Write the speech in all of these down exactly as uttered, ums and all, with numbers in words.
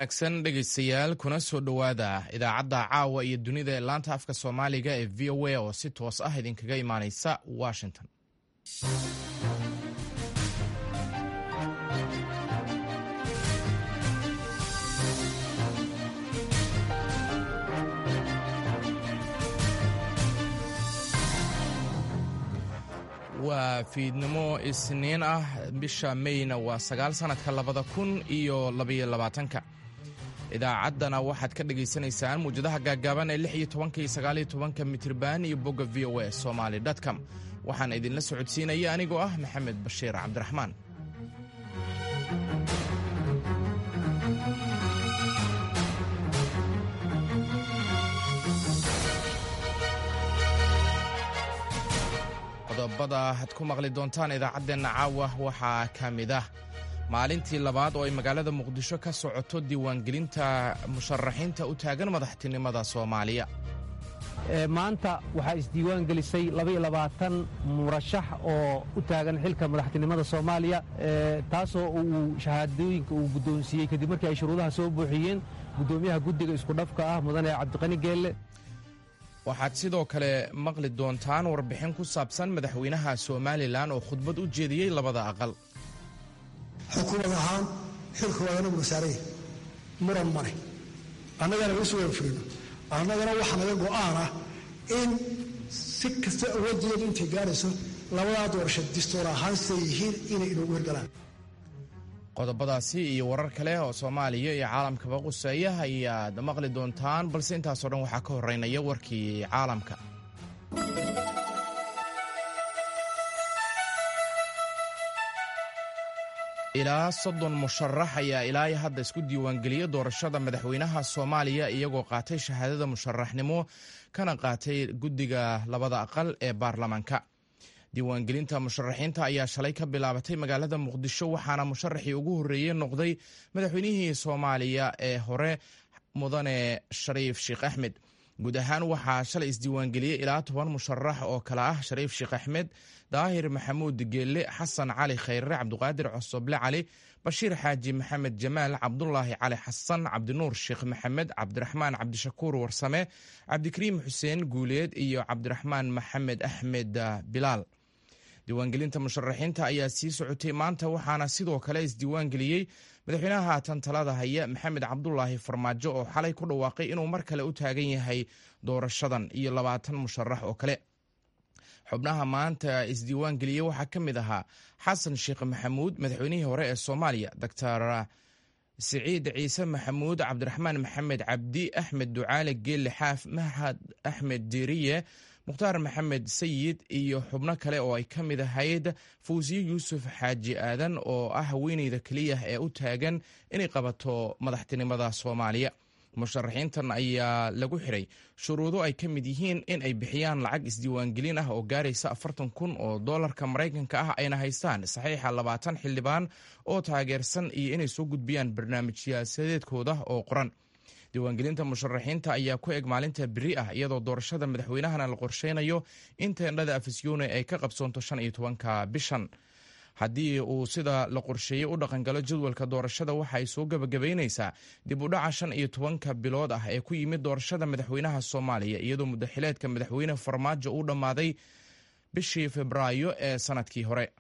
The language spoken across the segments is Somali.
Wanaagsan dhegaystayaal, kuna soo dhowaada idaacadda caawa iyo dunida ee laanta afka Soomaaliga ee V O A oo si toos ah idinkaga imaaneysa Washington. Waa fiidnimo Isniin ah, bisha Meyna waa sagaal, sanadka labada kun iyo labaiyo labaatanka. Idaacaddana waxaad ka dhagaysanaysaan muwjadaha gaaggaaban ee lix iyo tobanka iyo sagaal iyo tobanka mitirban iyo bogga V O A Somali com. Waxaan idinla socodsiinaya anigoo ah Maxamed Bashiir Cabdiraxmaan. Qodobada aad ku maqli doontaan idaacaddeenna caawa waxaa ka mid ah maalintii labaad oo ay magaalada Muqdisho ka socoto diiwaangelinta musharaxiinta u taagan madaxtinimada Soomaaliya. Maanta waxaa isdiiwaan gelisay murashax oo u taagan xilka madaxtinimada Soomaaliya, taasoo uu shahaadooyinka uu guddoonsiiyey kadib markii ay shuruudaha soo buuxiyeen guddoomiyaha guddiga iskudhafka ah, mudane Cabdiqani Geelle. Waxaad sidoo kale maqli doontaan warbixin ku saabsan madaxweynaha Somaliland oo khudbad u jeediyey labada aqal. Xukuumad ahaan xilkooda anagu wasaaraya muran male, annagana isu wada fulino. Annagana waxaa naga go'aan ah in si kasta awooddeedu intay gaarayso labadaa doorasho distoor ahaan siday yihiin inay inoogu hirgalaan. Qodobadaasi iyo warar kale oo Soomaaliya iyo caalamkaba quseeya ayaad maqli doontaan, balse intaasoo dhan waxaa ka horeynaya warkii caalamka. Ilaa soddon musharax ayaa ilaa hadda isku diiwaangeliyey doorashada madaxweynaha Soomaaliya, iyagoo qaatay shahaadada musharaxnimo kana qaatay guddiga labada aqal ee baarlamaanka. Diiwaangelinta musharaxiinta ayaa shalay ka bilaabatay magaalada Muqdisho, waxaana musharaxii ugu horreeyey noqday madaxweynihii Soomaaliya ee hore, mudane Shariif Sheekh Axmed. Guud ahaan waxaa shalay isdiiwaangeliyey ilaa toban musharax oo kale ah Shariif Sheekh Axmed, Daahir Maxamuud Geelle, Xasan Cali Khayre, Cabdiqaadir Cosoble Cali, Bashiir Xaaji Maxamed Jamaal, Cabdulaahi Cali Xasan, Cabdinuur Sheekh Maxamed, Cabdiraxmaan Cabdishakuur Warsame, Cabdikariim Xuseen Guuleed iyo Cabdiraxmaan Maxamed Axmed Bilaal. Diiwaangelinta musharaxiinta ayaa sii socotay maanta, waxaana sidoo kale isdiiwaangeliyey madaxweynaha haatan talada haya, Maxamed Cabdulaahi Farmaajo, oo xalay ku dhawaaqay inuu mar kale u taagan yahay doorashadan, iyo labaatan musharax oo kale. Xubnaha maanta isdiiwaangeliyey waxaa ka mid ahaa Xasan Sheekh Maxamuud, madaxweynihii hore ee Soomaaliya, Doctor Siciid Ciise Maxamuud, Cabdiraxmaan Maxamed Cabdi, Axmed Ducaale Geelle Xaaf, Mahad Axmed Diiriye, Mukhtaar Maxamed Sayid iyo xubno kale oo ay ka mid ahayd Fawsiye Yuusuf Xaaji Aadan, oo ah haweeneyda keliya ee u taagan inay qabato madaxtinimada Soomaaliya. Musharaxiintan ayaa lagu xiray shuruudo ay ka mid yihiin in ay bixiyaan lacag isdiiwaangelin ah oo gaaraysa afartan kun oo doolarka Maraykanka ah, ayna haystaan saxiixa labaatan xildhibaan oo taageersan, iyo inay soo gudbiyaan barnaamij siyaasadeedkooda oo qoran. Diiwaangelinta musharaxiinta ayaa ku eg maalinta beri ah, iyadoo doorashada madaxweynahana la qorsheynayo in teendhada Afisyoone ay ka qabsoonto shan iyo tobanka bishan. Haddii uu sida la qorsheeyey u dhaqangalo jadwalka doorashada, waxa ay soo gebagabaynaysaa dib u dhaca shan iyo tobanka bilood ah ee ku yimid doorashada madaxweynaha Soomaaliya, iyadoo muddaxileedka madaxweyne Farmaajo uu dhammaaday bishii Febraayo ee sanadkii hore.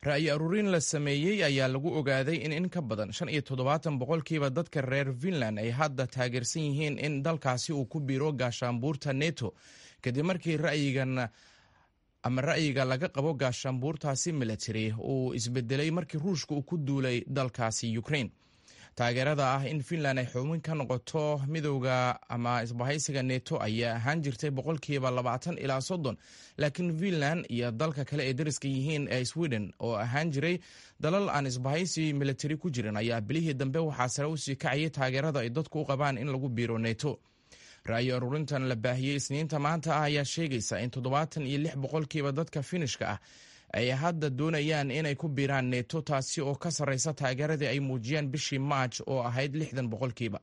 Ra'yi aruurin la sameeyey ayaa lagu ogaaday in in ka badan shan iyo toddobaatan boqolkiiba dadka reer Finland ay hadda taageersan yihiin in dalkaasi uu ku biiro gaashaanbuurta NETO, kadib markii ra'yigan ama ra'yiga laga qabo gaashaanbuurtaasi military uu isbedelay markii Ruushka uu ku duulay dalkaasi Ukraine. Taageerada ah in Finland ay xubin ka noqoto midowda ama isbahaysiga NETO ayaa ahaan jirtay boqolkiiba labaatan ilaa soddon, laakiin Finland iyo dalka kale ee dariska yihiin ee Sweden, oo ahaan jiray dalal aan isbahaysi military ku jirin, ayaa bilihii dambe waxaa sare usii kacayay taageerada ay dadku u qabaan in lagu biiro NETO. Ra'yi aruurintan la baahiyey Isniinta maanta ah ayaa sheegaysa in toddobaatan iyo lix boqolkiiba dadka Finishka ah ay hadda doonayaan inay ku biiraan NETO, taasi oo ka sarreysa taageeradii ay muujiyeen bishii Maaj oo ahayd lixdan boqolkiiba.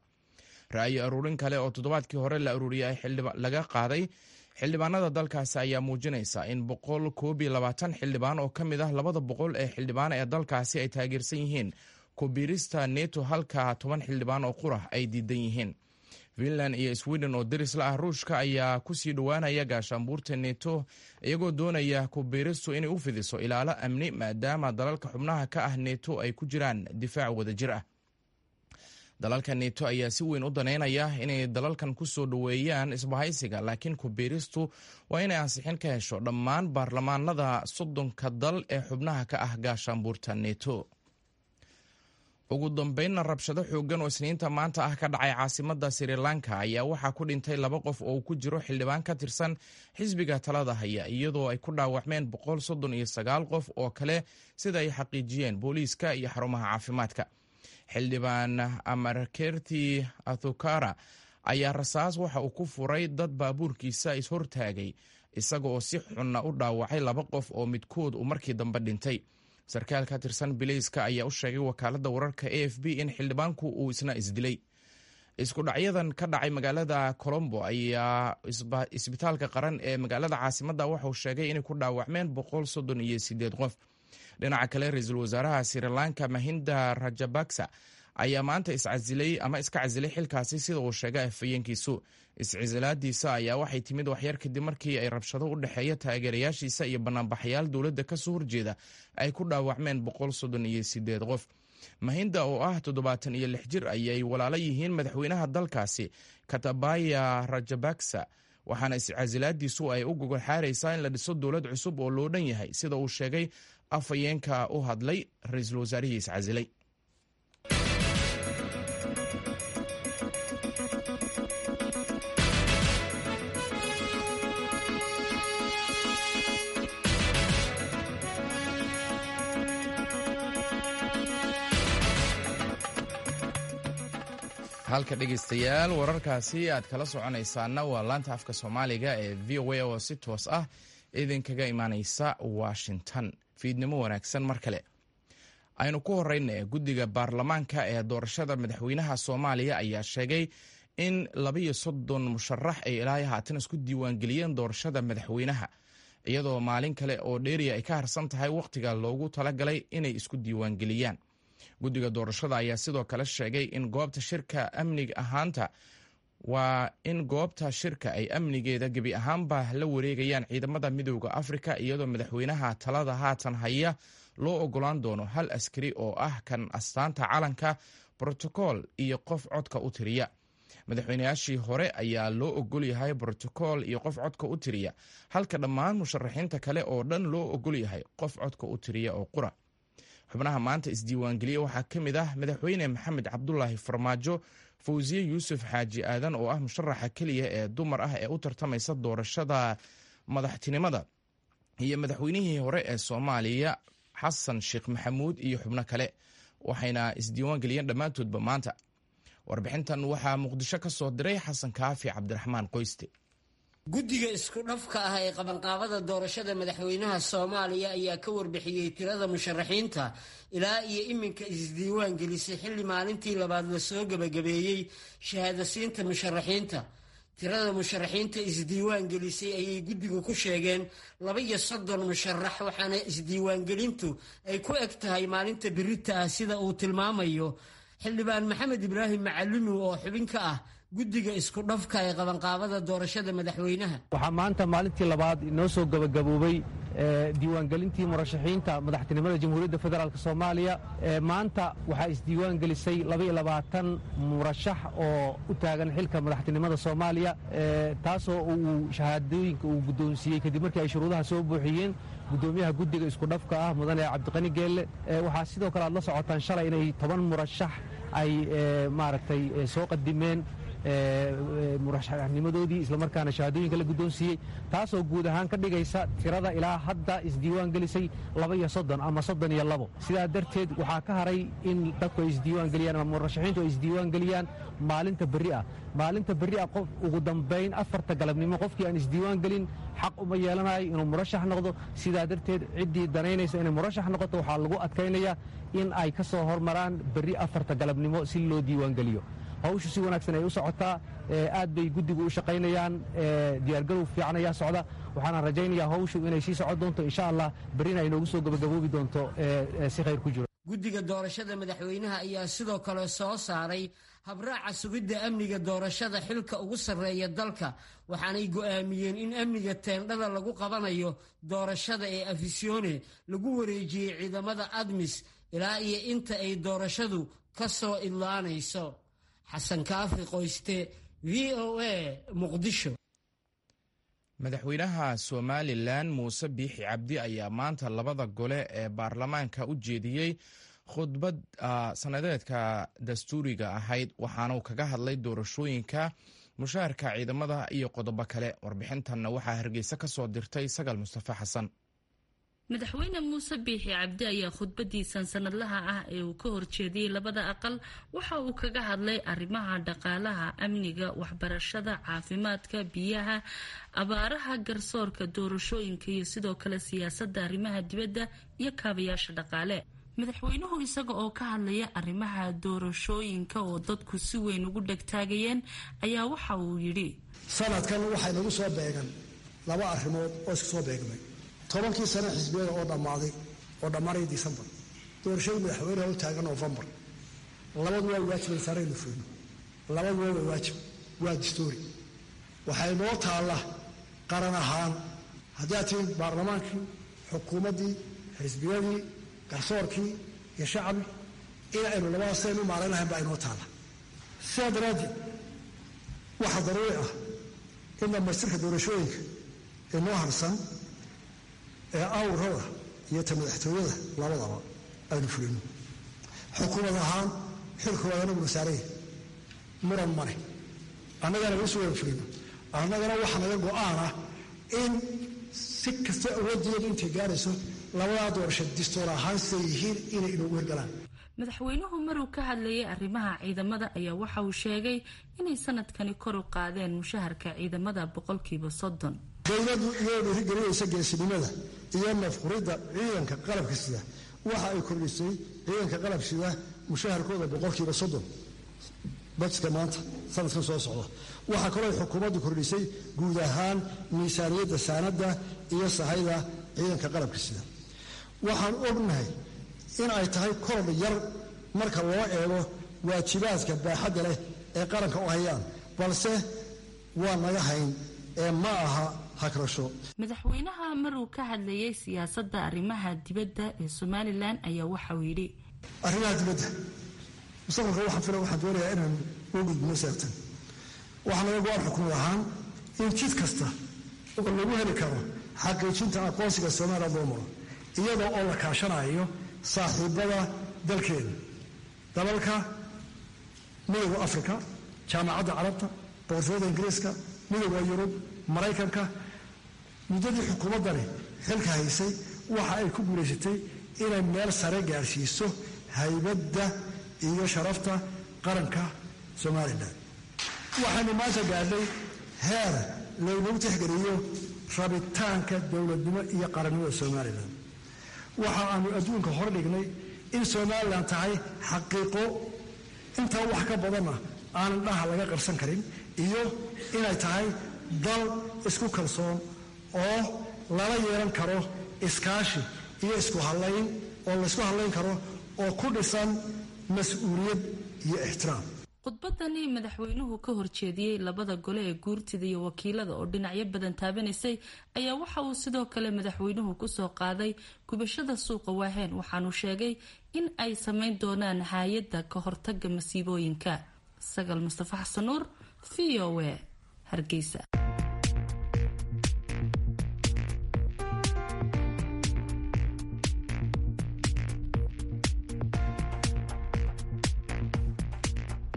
Ra'yi aruurin kale oo toddobaadkii hore la aruuriyay laga qaaday xildhibaanada dalkaasi ayaa muujinaysa in boqol koob iyo labaatan xildhibaan oo ka mid ah labada boqol ee xildhibaan ee dalkaasi ay taageersan yihiin. kubiirista neto, halka toban xildhibaan oo qura ay diidan yihiin. Finland iyo Sweden oo deris la ah Ruushka ayaa kusii dhowaanaya gaashaanbuurta neto, iyagoo doonaya kubiiristu inay u fidiso ilaalo amni, maadaama dalalka xubnaha ka ah neto ay ku jiraan difaac wadajir ah. Dalalka neto ayaa si weyn u daneynaya inay dalalkan ku soo dhoweeyaan isbahaysiga, laakiin kubiiristu waa inay ansixin ka hesho dhammaan baarlamaanada soddonka dal ee xubnaha ka ah gaashaanbuurta neto. Ugu dambeynna, rabshado xooggan oo Isniinta maanta ah ka dhacay caasimadda Sri Lanka ayaa waxaa ku dhintay laba qof oo ku jiro xildhibaan ka tirsan xisbiga talada haya, iyadoo ay ku dhaawacmeen boqol soddon iyo sagaal qof oo kale, sida ay xaqiijiyeen booliiska iyo xarumaha caafimaadka. Xildhibaan Amarkerti Athukara ayaa rasaas waxa uu ku furay dad baabuurkiisa ishortaagay, isaga oo si xunna u dhaawacay laba qof oo midkood uu markii dambe dhintay. Sarkaal ka tirsan bileyska ayaa u sheegay wakaaladda wararka A F B in xildhibaanku uu isna isdilay. Isku dhacyadan ka dhacay magaalada Colombo ayaa isbitaalka qaran ee magaalada caasimadda waxauu sheegay inay ku dhaawacmeen boqol soddon iyo sideed qof. Dhinaca kale, ra-iisul wasaaraha Sri Lanka Mahinda Rajabaksa ayaa maanta iscasilay ama iska casilay xilkaasi, sida uu sheegay afhayeenkiisu. Iscisilaadiisa ayaa waxay timid waxyar kadib markii ay rabshado u dhexeeya taageerayaashiisa iyo banaanbaxayaal dowladda kasoo horjeeda ay ku dhaawacmeen boqol soddon iyo sideed qof. Mahinda oo ah toddobaatan iyo lix jir ayay walaalo yihiin madaxweynaha dalkaasi Katabaya Rajabaksa, waxaana iscasilaadiisu ay u gogol xaaraysaa in la dhiso dowlad cusub oo loo dhan yahay, sida uu sheegay afhayeenka u hadlay ra-iisul wasaarihii iscasilay. Halka dhegeystayaal wararkaasi aad kala soconaysaana waa laanta afka Soomaaliga ee V O A oo si toos ah idinkaga imaaneysa Washington. Fiidnimo wanaagsan mar kale. Aynu ku horeyna, guddiga baarlamaanka ee doorashada madaxweynaha Soomaaliya ayaa sheegay in labiyo soddon musharax ay ilaa haatan isku diiwaangeliyeen doorashada madaxweynaha, iyadoo maalin kale oo dheeriya ay ka harsan tahay wakhtiga loogu talagalay inay isku diiwaangeliyaan. Guddiga doorashada ayaa sidoo kale sheegay in goobta shirka amniga ahaanta waa in goobta shirka ay amnigeeda gebi ahaanba la wareegayaan ciidamada Midowda Afrika, iyadoo madaxweynaha talada haatan haya loo ogolaan doono hal askari oo ah kan astaanta calanka, brotokool iyo qof codka u tiriya. Madaxweynayaashii hore ayaa loo ogol yahay brotokool iyo qof codka u tiriya, halka dhammaan musharaxiinta kale oo dhan loo ogol yahay qof codka u tiriya oo qura. Xubnaha maanta isdiiwaangeliya waxaa ka mid ah Madaxweyne Maxamed Cabdulaahi Farmaajo, Fawsiye Yuusuf Xaaji Aadan oo ah musharaxa keliya ee dumar ah ee u tartamaysa doorashada madaxtinimada, iyo madaxweynihii hore ee Soomaaliya Xasan Sheekh Maxamuud iyo xubno kale, waxayna isdiiwaangeliyeen dhammaantoodba maanta. Warbixintan waxaa Muqdisho ka soo diray Xasan Kaafi Cabdiraxmaan Qoyste. Guddiga isku dhafka ah ee qabanqaabada doorashada madaxweynaha Soomaaliya ayaa ka warbixiyey tirada musharaxiinta ilaa iyo iminka isdiiwaan gelisay, xilli maalintii labaad la soo gebagabeeyey shahaadasiinta musharaxiinta. Tirada musharaxiinta isdiiwaan gelisay ayay guddigu ku sheegeen laba iyo soddon musharax, waxaana isdiiwaangelintu ay ku eg tahay maalinta birita ah, sida uu tilmaamayo xildhibaan Maxamed Ibraahim Macalimi oo xubin ka ah guddiga isku dhafka ee qabanqaabada doorashada madaxweynaha. Waxaa maanta maalintii labaad inoo soo gabagaboobay diiwaangelintii murashaxiinta madaxtinimada Jamhuuriyadda Federaalk Soomaaliya. Maanta waxaa isdiiwaan gelisay labaiyo labaatan murashax oo u taagan xilka madaxtinimada Soomaaliya, taasoo uu shahaadooyinka uu guddoonsiiyey kadib markii ay shuruudaha soo buuxiyeen guddoomiyaha guddiga isku dhafka ah mudane Cabdiqani Geelle. Waxaa sidoo kale aad la socotaan shalay inay toban murashax ay maaragtay soo qadimeen murashaxnimadoodii, islamarkaana shahaadooyinka la guddoonsiiyey, taasoo guud ahaan ka dhigaysa tirada ilaa hadda isdiiwaan gelisay laba iyo soddon ama soddon iyo labo. Sidaa darteed waxaa ka haray in dadku ay isdiiwaan geliyaan ama murashaxiintu ay isdiiwaan geliyaan maalinta berri ah. Maalinta berri ah qof ugu dambayn afarta galabnimo qofkii aan isdiiwaan gelin xaq uma yeelanayo inuu murashax noqdo. Sidaa darteed ciddii danaynaysa inay murashax noqoto waxaa lagu adkaynayaa in ay ka soo hormaraan berri afarta galabnimo si loo diiwaan geliyo. Hawshu si wanaagsan ay u socotaa, aad bay guddigu u shaqaynayaan, diyaargarow fiican ayaa socda, waxaana rajaynayaa hawshu inay sii socon doonto insha Allah, berrina ay noogu soo gabagaboobi doonto si khayr ku jiro. Guddiga doorashada madaxweynaha ayaa sidoo kale soo saaray habraaca sugidda amniga doorashada xilka ugu sarreeya dalka, waxaanay go'aamiyeen in amniga teendhada lagu qabanayo doorashada ee Afisione lagu wareejiyey ciidamada ADMIS ilaa iyo inta ay doorashadu ka soo idlaanayso. Xasan Kaafi Qoyste, V O A, Muqdisho. Madaxweynaha Somalilan Muuse Biixi Cabdi ayaa maanta labada gole ee baarlamaanka u jeediyey khudbad sanadeedka dastuuriga ahayd, waxaana uu kaga hadlay doorashooyinka, mushaharka ciidamada iyo qodobo kale. Warbixintanna waxaa Hargeysa ka soo dirtay Sagal Mustafa Xasan. Madaxweyne Muuse Biixi Cabdi ayaa khudbadiisan sanadlaha ah ee uu ka horjeediyey labada aqal waxa uu kaga hadlay arrimaha dhaqaalaha, amniga, waxbarashada, caafimaadka, biyaha, abaaraha, garsoorka, doorashooyinka iyo sidoo kale siyaasadda arrimaha dibadda iyo kaabayaasha dhaqaale. Madaxweynuhu isaga oo ka hadlaya arrimaha doorashooyinka oo dadku si weyn ugu dhegtaagayeen ayaa waxa uu yidhi: Sanadkan waxay nagu soo beegan laba arrimood oo isku soo beegmay. Tobankii sano xisbiyada oo dhammaaday oo dhammaanaya Disembar, doorashadii madaxweynaha u taagan Noofembar. Labadu waa waajib saaraynu fulino, labaduba waa waajib, waa dastuuri. Waxay noo taalla qaran ahaan haddii aad tihiin baarlamaankii, xukuumaddii, xisbiyadii, garsoorkii iyo shacbi, in aynu labadaas saynu maarayn lahayn baa inoo taalla. Sidaa daraaddeed waxaa daruuri ah in dhammaystirka doorashooyinka ee noo harsan ee awrada iyo ta madaxtooyada labadaba aynu fulino. Xukuumad ahaan xilkooda anaguna saaraya, muran male, annagana lagu fulino. Annagana waxaa naga go'aan ah in si kasta awooddeedu intay gaarayso labadaa doorasho distoor ahaan siday yihiin inay inoogu hirgalaan. Madaxweynuhu maruu ka hadlayay arrimaha ciidamada ayaa waxa uu sheegay inay sanadkani kor u qaadeen mushaharka ciidamada boqolkiiba soddon. Dowladdu iyadoo dhiirigelinaysa geesinimada iyo nafquridda ciidanka qalabka sida, waxa ay kordhisay ciidanka qalab sida mushaharkooda boqolkiiba soddon bajka maanta sanadkan soo socda. Waxaa kaloo xukuumaddu kordhisay guud ahaan miisaaniyadda saanadda iyo sahayda ciidanka qalabka sida. Waxaan ognahay in ay tahay korodh yar marka loo eego waajibaadka baaxadda leh ee qaranka u hayaan, balse waa naga hayn ee ma aha hagrasho. Madaxweynaha maruu ka hadlayay siyaasadda arrimaha dibadda ee Somalilan ayaa waxauu yidhi: Arrimaha dibadda mustaqbalka waxaan fila waxaan doonayaa inaan u gudbino seegtan. Waxaa naga go-aan xukuumad ahaan in jid kasta oo lagu heli karo xaqiijinta aqoonsiga Somalilan loo maro, iyadoo oo la kaashanayo saaxiibada dalkeena, dalalka Midowda Afrika, Jaamacadda Carabta, Boqortooyada Ingiriiska, Midowda Yurub, Maraykanka. Muddadii xukuumaddani xilka haysay waxa ay ku guulaysatay inay meel sare gaarsiiso haybadda iyo sharafta qaranka Somalilan. Waxaynu maanta gaadhay heer laynagu tixgeliyo rabitaanka dowladnimo iyo qarannimada Somalilan. Waxa aanu adduunka hor dhignay in Somalilan tahay xaqiiqo intaa wax ka badanna aanan dhaha laga qarsan karin, iyo inay tahay dal isku kalsoon oo lala yeelan karo iskaashi iyo isku hallayn, oo laysku hallayn karo oo ku dhisan mas-uuliyad iyo ixtiraam. Khudbadani madaxweynuhu ka horjeediyey labada gole ee guurtida iyo wakiilada oo dhinacyo badan taabanaysay ayaa waxa uu sidoo kale madaxweynuhu kusoo qaaday gubashada suuqa Waaheen, waxaanuu sheegay in ay sameyn doonaan haayadda ka hortaga masiibooyinka. Sagal Mustafa Xasan Nuur, V O A, Hargeysa.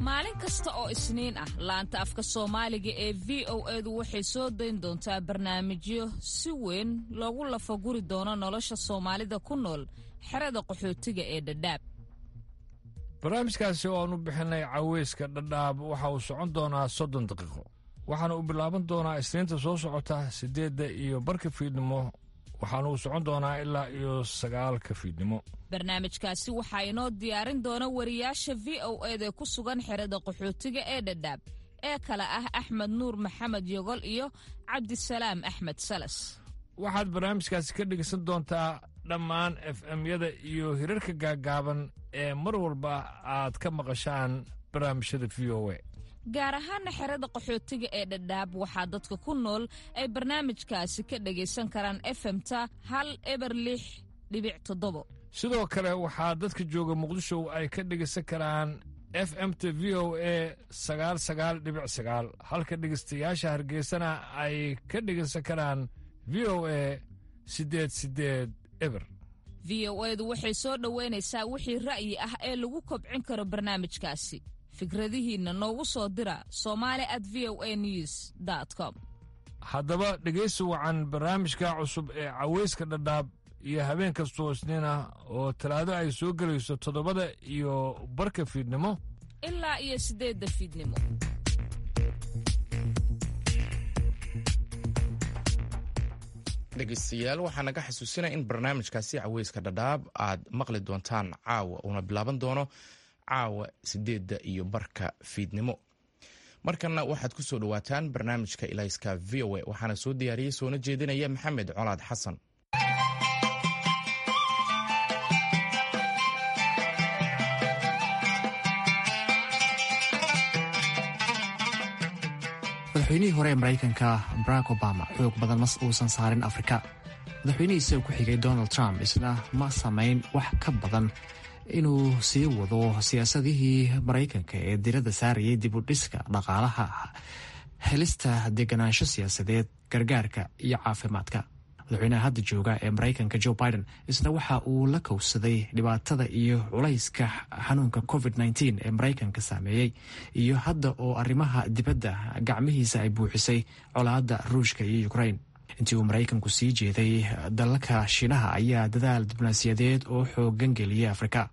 Maalin kasta oo Isniin ah laanta afka Soomaaliga ee V O edu waxay soo dayn doontaa barnaamijyo si weyn loogu lafaguri doono nolosha Soomaalida ku nool xerada qaxootiga ee Dhadhaab. Barnaamijkaasi oo aanu bixinay Caweyska Dhadhaab waxa uu socon doonaa soddon daqiiqo, waxaana uu bilaaban doonaa Isniinta soo socota siddeedda iyo barka fiidnimo, waxaana uu socon doonaa ilaa iyo sagaalka fiidnimo. Barnaamijkaasi waxaa inoo diyaarin doona wariyaasha V O eda ku sugan xerada qaxootiga ee Dhadhaab ee kale ah Axmed Nuur Maxamed Yogol iyo Cabdisalaam Axmed Salas. Waxaad barnaamijkaasi ka dhegeysan doontaa Dhammaan F M-yada iyo hirarka gaagaaban ee mar walba aad ka maqashaan barnaamijyada V O A. Gaar ahaana xerada qaxootiga ee Dhadhaab, waxaa dadka ku nool ay barnaamijkaasi ka dhagaysan karaan F M-ta hal eber lix dhibic toddobo. Sidoo kale waxaa dadka jooga Muqdisho ay ka dhegaysan karaan F M T V O A sagaal sagaal dhibic sagaal, halka dhegaystayaasha Hargeysana ay ka dhegaysan karaan V O A siddeed siddeed eber. V O A du waxay soo dhoweynaysaa wixii ra'yi ah ee lagu kobcin karo barnaamijkaasi. Fikradihiinna noogu soo dira somali at v o a news dot com. Haddaba dhegaysi wacan barnaamijka cusub ee Caweyska Dhadhaab iyo habeen kastoo Isniin ah oo Talaado ay soo gelayso toddobada iyo barka fiidnimo ilaa iyo siddeedda fiidnimo. Dhegeystayaal, waxaa naga xasuusinaya in barnaamijkaasi Caweyska Dhadhaab aad maqli doontaan caawa, uuna bilaaban doono caawa sideedda iyo barka fiidnimo. Markanna waxaad ku soo dhowaataan barnaamijka Ilayska V O A, waxaana soo diyaariyey soona jeedinaya Maxamed Colaad Xasan. Madaxweynihii hore ee Maraykanka Barack Obama xoog badan mas uusan saarin Afrika. Madaxweynihiisa ku xigay Donald Trump isna ma samayn wax ka badan inuu sii wado siyaasadihii Maraykanka ee diradda saarayay dib u dhiska dhaqaalaha, helista deganaansho siyaasadeed, gargaarka iyo caafimaadka. Madaxweynaha hadda jooga ee Maraykanka Joe Biden isna waxa uu la kowsaday dhibaatada iyo culayska xanuunka covid nineteen ee Maraykanka saameeyey, iyo hadda oo arrimaha dibadda gacmihiisa ay buuxisay colaadda Ruushka iyo Ukraine. Intii uu Maraykanku sii jeeday dalalka Shiinaha ayaa dadaal diblomaasiyadeed oo xoogan geliyay Afrika.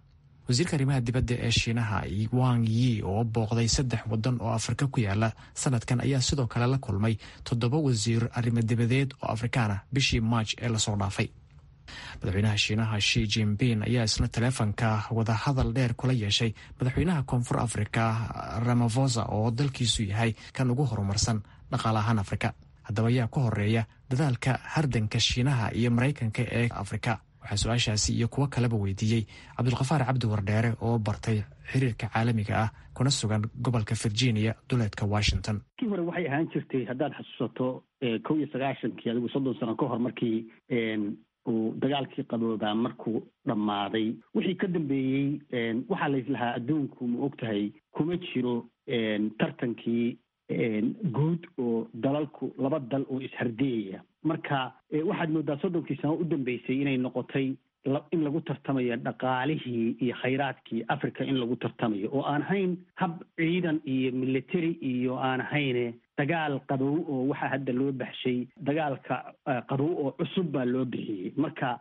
Wasiirka arrimaha dibadda ee Shiinaha Wang Yi oo booqday saddex wadan oo Afrika ku yaala sanadkan ayaa sidoo kale la kulmay toddoba wasiir arrimo dibadeed oo Afrikaan ah bishii Maaj ee lasoo dhaafay. Madaxweynaha Shiinaha Xi Jinping ayaa isna taleefanka wadahadal dheer kula yeeshay madaxweynaha Koonfur Afrika Ramaphosa oo dalkiisu yahay kan ugu horumarsan dhaqaale ahaan Afrika. Haddaba ayaa ku horeeya dadaalka hardanka Shiinaha iyo Maraykanka ee Afrika? Waxaa su-aashaasi iyo kuwo kaleba weydiiyey Cabdulkhafaar Cabdi Wardheere oo bartay xiriirka caalamiga ah kuna sugan gobolka Virginia, duleedka Washington. Kii hore waxay ahaan jirtay, haddaad xasuusato, kow iyo sagaashankii, adigu soddon sano ka hor, markii uu dagaalkii qaboobaa markuu dhammaaday, wixii ka dambeeyey waxaa laislahaa adduunku, ma og tahay, kuma jiro tartankii guud oo dalalku laba dal oo ishardiyaya. Marka waxaad moodaa soddonkii sano u dambeysay inay noqotay in lagu tartamayo dhaqaalihii iyo khayraadkii Africa, in lagu tartamayo oo aan ahayn hab ciidan iyo military iyo aan ahayne dagaal qabow oo waxaa hadda loo baxshay dagaalka qabow oo cusub baa loo bixiyey. Marka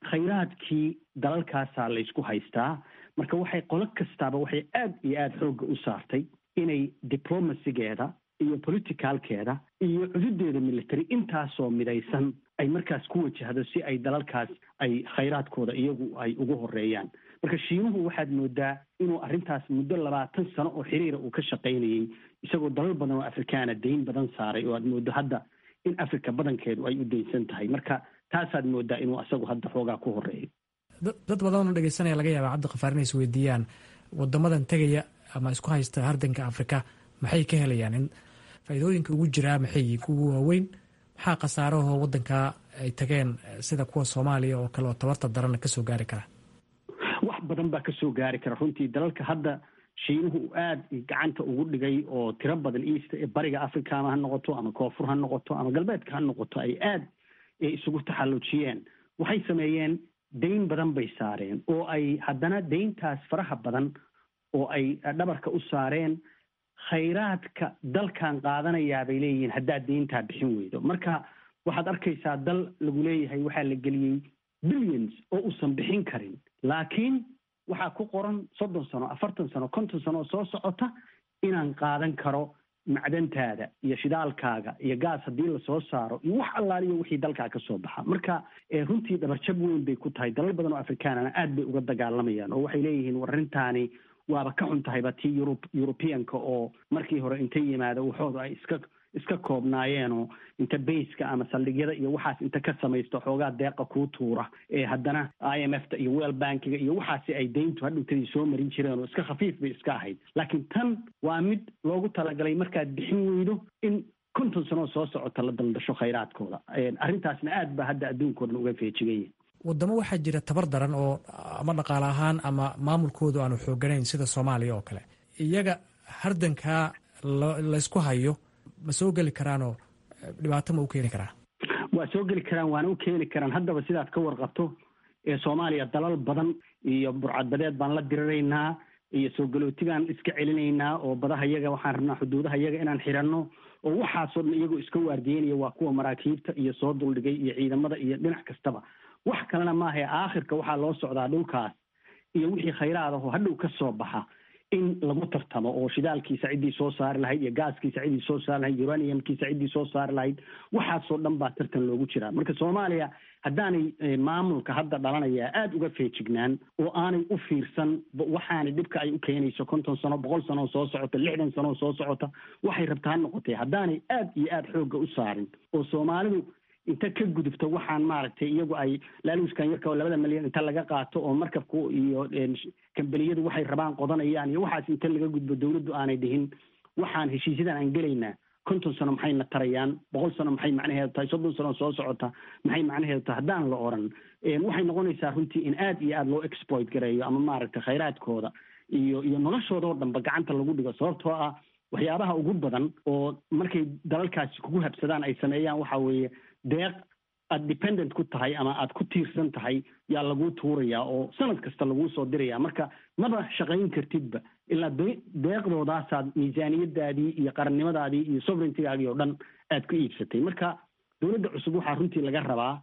khayraadkii dalalkaasaa laysku haystaa. Marka waxay qolo kastaaba waxay aad iyo aada xoogga u saartay inay diplomacygeeda iyo politicalkeeda iyo cududeeda military intaasoo midaysan ay markaas ku wajahdo si ay dalalkaas ay khayraadkooda iyagu ay ugu horeeyaan. Marka Shiinuhu waxaad moodaa inuu arrintaas muddo labaatan sano oo xiriira uu ka shaqaynayey, isagoo dalal badan oo Afrikaana dayn badan saaray, oo aad mooddo hadda in Africa badankeedu ay u daynsan tahay. Marka taasaad moodaa inuu asagu hadda xoogaa ku horeeyo. Dad badanoo dhegeysanaya laga yaaba, Cabdiqafaar, inay isweydiiyaan wadamadan tegaya ama isku haysta hardanka Afrika maxay ka helayaan, in faa'iidooyinka ugu jiraa maxay yihiin kuwa waaweyn, maxaa khasaarahoo waddanka ay tageen sida kuwa Soomaaliya oo kale oo tabarta darana kasoo gaari kara? Wax badan baa kasoo gaari kara runtii. Dalalka hadda Shiinuhu uu aada gacanta ugu dhigay oo tiro badan, East ee bariga Africa ama ha noqoto ama koonfur ha noqoto ama galbeedka ha noqoto, ay aada isugu taxallujiyeen, waxay sameeyeen dayn badan bay saareen, oo ay haddana dayntaas faraha badan oo ay dhabarka u saareen khayraadka dalkan qaadanayaa bay leeyihiin haddaad deyntaa bixin weydo. Marka waxaad arkaysaa dal lagu leeyahay waxaa la geliyey billions oo uusan bixin karin, laakiin waxaa ku qoran soddon sano, afartan sano, konton sano oo soo socota inaan qaadan karo macdantaada iyo shidaalkaaga iyo gaas haddii lasoo saaro iyo wax allaaliyo wixii dalkaa ka soo baxa. Marka runtii dhabarjab weyn bay ku tahay dalal badan oo Afrikaanana, aad bay uga dagaalamayaan oo waxay leeyihiin war arrintaani waaba ka xun tahayba tii Yurub Yurubiyanka oo markii hore intay yimaado waxooda ay iska iska koobnaayeenoo inta bayska ama saldhigyada iyo waxaas inta ka samaysto xoogaa deeqa kuu tuura, ee haddana I M F ta iyo World Bankiga iyo waxaasi ay deyntu hadhowtadii soo marin jireen oo iska khafiif bay iska ahayd. Laakiin tan waa mid loogu talagalay markaad bixin weydo in konton sanoo soo socota la daldasho khayraadkooda. Arrintaasna aad ba hadda adduunka o dhan uga feejiganya. Wadamo waxaa jira tabar daran oo ama dhaqaale ahaan ama maamulkoodu aanu xooganayn, sida Soomaaliya oo kale. Iyaga hardankaa laysku hayo ma soo geli karaanoo dhibaato ma u keeni karaa? Waa soo geli karaan, waana u keeni karaan. Haddaba sidaad ka warqabto, ee Soomaaliya dalal badan iyo burcadbadeed baan la diriraynaa iyo soo galootigaan iska celinaynaa oo badaha yaga waxaan rabnaa xuduudaha yaga inaan xiranno oo waxaasoo dhan iyagoo iska waardiyeynaya waa kuwa maraakiibta iyo soo duldhigay iyo ciidamada iyo dhinac kastaba. Wax kalena maahae, aakhirka waxaa loo socdaa dhulkaas iyo wixii khayraad ahoo hadhow ka soo baxa in lagu tartamo, oo shidaalkiisa ciddii soo saari lahayd iyo gaaskiisa ciddii soo saari lahayd, uraniumkiisa ciddii soo saari lahayd, waxaasoo dhan baa tartan loogu jiraa. Marka Soomaaliya haddaanay maamulka hadda dhalanaya aada uga feejignaan oo aanay u fiirsan waxaanay dhibka ay u keenayso konton sano, boqol sano oo soo socota, lixdan sano oo soo socota, waxay rabta ha noqotay, haddaanay aad iyo aada xoogga u saarin oo Soomaalidu inta ka gudubto waxaan maaragtay iyagu ay laaluuskan yarka oo labada milyan inta laga qaato oo markabku iyo kambaniyadu waxay rabaan qodanayaan iyo waxaas inta laga gudbo, dowladdu aanay dhihin waxaan heshiisyadan aan gelaynaa konton sano maxay na tarayaan, boqol sano maxay macnaheedu tahay, soddon sano soo socota maxay macnaheedu tahay, haddaan la oran, waxay noqonaysaa runtii in aad iyo aada loo exploit gareeyo ama maaragtay khayraadkooda iyo iyo noloshooda oo dhanba gacanta lagu dhigo. Sababtoo ah waxyaabaha ugu badan oo markay dalalkaasi kugu habsadaan ay sameeyaan waxa weeye deeq aad dependent ku tahay ama aad ku tiirsan tahay yaa laguu tuurayaa oo sanad kasta laguu soo diraya. Marka maba shaqayn kartidba ilaa deeqdoodaasaad miisaaniyadaadii iyo qarannimadaadii iyo sovereigntygaagii oo dhan aad ku iibsatay. Marka dowladda cusub waxaa runtii laga rabaa,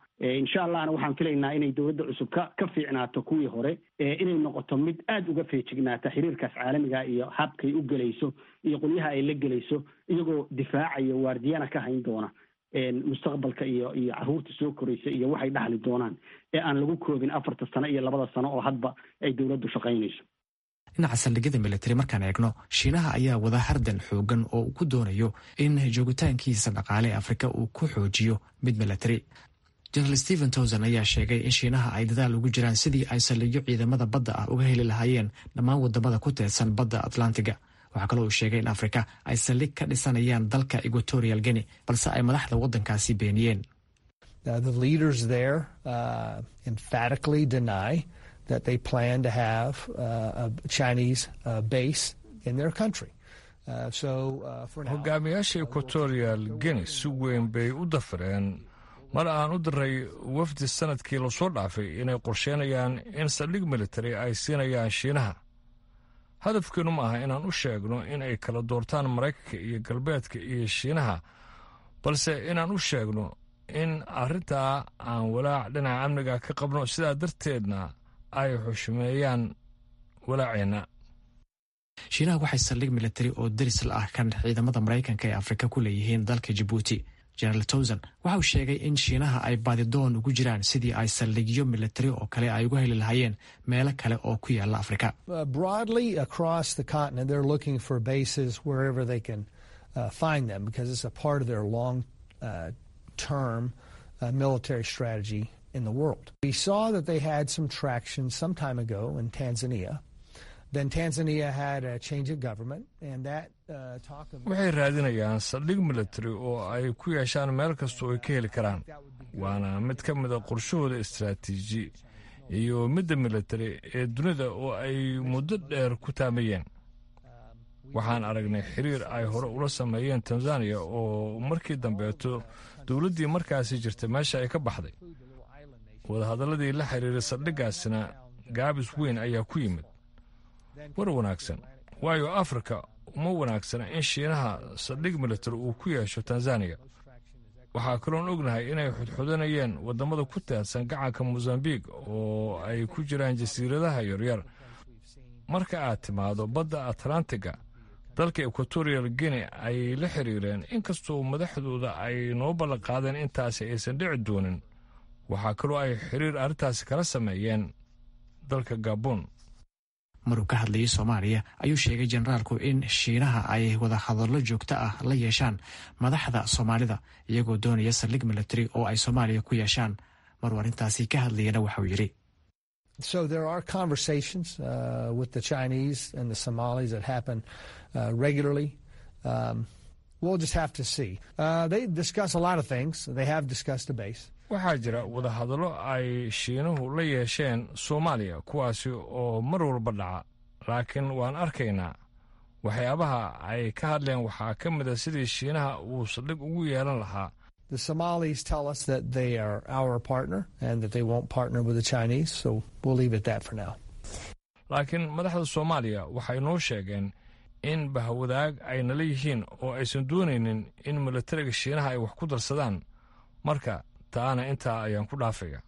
insha Allahna waxaan filaynaa inay dowladda cusub ka ka fiicnaato kuwii hore, inay noqoto mid aada uga feejignaata xiriirkaas caalamiga iyo habkay u gelayso iyo qolyaha ay la gelayso, iyagoo difaacaya waardiyana ka hayn doona mustaqbalka iyo iyo caruurta soo koraysa iyo waxay dhaxli doonaan, ee aan lagu koobin afarta sano iyo labada sano oo hadba ay dowladdu shaqaynayso. Dhinaca saldhigyada military markaan eegno, Shiinaha ayaa wada hardan xoogan oo uu ku doonayo in joogitaankiisa dhaqaale ee Afrika uu ku xoojiyo mid military. General Stephen Townsend ayaa sheegay in Shiinaha ay dadaal ugu jiraan sidii ay saldhigyo ciidamada badda ah uga heli lahaayeen dhammaan wadamada ku teedsan badda Atlantiga. Waxaa kaloo uu sheegay in Afrika ay saldhig ka dhisanayaan dalka Equatorial Guinea, balse ay madaxda waddankaasi beeniyeen. The leaders there uh, emphatically deny that they plan to have uh, a Chinese uh, base in their country. Hogaamiyaasha Equatorial Guinea si weyn bay u dafireen mar aan u diray wafdi sanadkii lasoo dhaafay inay qorsheynayaan in saldhig military ay siinayaan Shiinaha. Hadafkeenu ma aha inaan u sheegno in ay kala doortaan Maraykanka iyo Galbeedka iyo Shiinaha, balse inaan u sheegno in arrintaa aan walaac dhinaca amniga ka qabno, sidaa darteedna ay xushmeeyaan walaaceenna. Shiinaha waxay saldhig military oo deris la ah kan ciidamada Maraykanka ee Afrika ku leeyihiin dalka Jabuuti. General Townsend waxa uu sheegay in Shiinaha ay baadidoon ugu jiraan sidii ay saldhigyo military oo kale ay uga heli lahaayeen meelo kale oo ku yaala Afrika. Broadly across the continent, they're looking for bases wherever they can uh, find them because it's a part of their long uh, term uh, military strategy in the world. We saw that they had some traction some time ago in Tanzania. Then Tanzania had a change of government, and that uh, talk of Waxay raadinayaan saldhig military oo ay ku yeeshaan meel kastoo ay ka heli karaan, waana mid ka mida qorshahooda istaraatiiji iyo midda military ee dunida oo ay muddo dheer ku taamayeen. Waxaan aragnay xiriir ay hore ula sameeyeen Tanzaniya oo markii dambeeto dowladdii markaasi jirtay meesha ay ka baxday. Wadahadalladii la xiriiray saldhiggaasina gaabis weyn ayaa ku yimid. War wanaagsan, waayo Afrika uma wanaagsana in Shiinaha saldhig military uu ku yeesho Tanzaniya. Waxaa kaloon ognahay inay xudxudanayeen waddamada ku teedsan gacanka Mosambiq oo ay ku jiraan jasiiradaha yaryar. Marka aad timaado badda Atlantiga, dalka Equatorial Guinea ayay la xiriireen, inkastoo madaxdooda ay noo ballanqaadeen intaasi aysan dhici doonin. Waxaa kaloo ay xiriir arrintaasi kala sameeyeen dalka Gabon. Maruu ka hadlayay Soomaaliya ayuu sheegay generaalku in Shiinaha ay wadahadallo joogto ah la yeeshaan madaxda Soomaalida, iyagoo doonaya saldhig military oo ay Soomaaliya ku yeeshaan. Maruu arrintaasi ka hadlayana waxauu yidhi: So there are conversations uh, with the Chinese and the Somalis that happen uh, regularly. Um, we'll just have to see. Uh, they discuss a lot of things. They have discussed a base. Waxaa jira wadahadallo ay Shiinuhu la yeesheen Soomaaliya, kuwaasi oo mar walba dhaca, laakiin waan arkaynaa. Waxyaabaha ay ka hadleen waxaa ka mid a sidii Shiinaha uu saldhig ugu yeelan lahaa. The Somalis tell us that they are our partner and that they won't partner with the Chinese, so we'll leave it that for now. Laakiin madaxda Soomaaliya waxay noo sheegeen in bahwadaag ay nala yihiin oo aysan doonaynin in milatariga Shiinaha ay wax ku darsadaan. Marka taana intaa ayaan ku dhaafaya.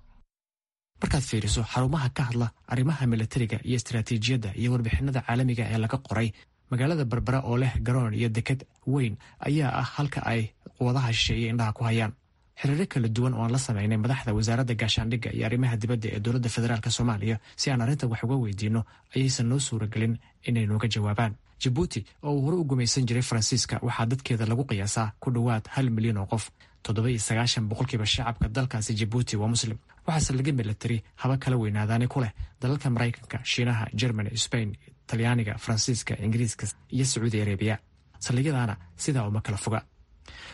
Markaad fiiriso xarumaha ka hadla arrimaha milatariga iyo istaraatiijiyadda iyo warbixinada caalamiga ee laga qoray, magaalada Berbera oo leh garoon iyo deked weyn ayaa ah halka ay quwadaha shisheeye indhaha ku hayaan. Xiriiro kala duwan oo aan la sameynay madaxda wasaaradda gaashaandhigga iyo arrimaha dibadda ee dowladda federaalk Soomaaliya si aan arrintan wax uga weydiinno ayaysan noo suuragelin inay nooga jawaabaan. Jabuuti oo uu hore u gumaysan jiray Faransiiska waxaa dadkeeda lagu qiyaasaa ku dhowaad hal milyan oo qof. Toddoba iyo sagaashan boqolkiiba shacabka dalkaasi Jabuuti waa Muslim. Waxaa saldhigyo military, haba kala weynaadaani, ku leh dalalka Maraykanka, Shiinaha, Germany, Spain, Talyaaniga, Faransiiska, Ingiriiska iyo Sacuudi Arabiya. Saldhigyadaana sidaa uma kala foga.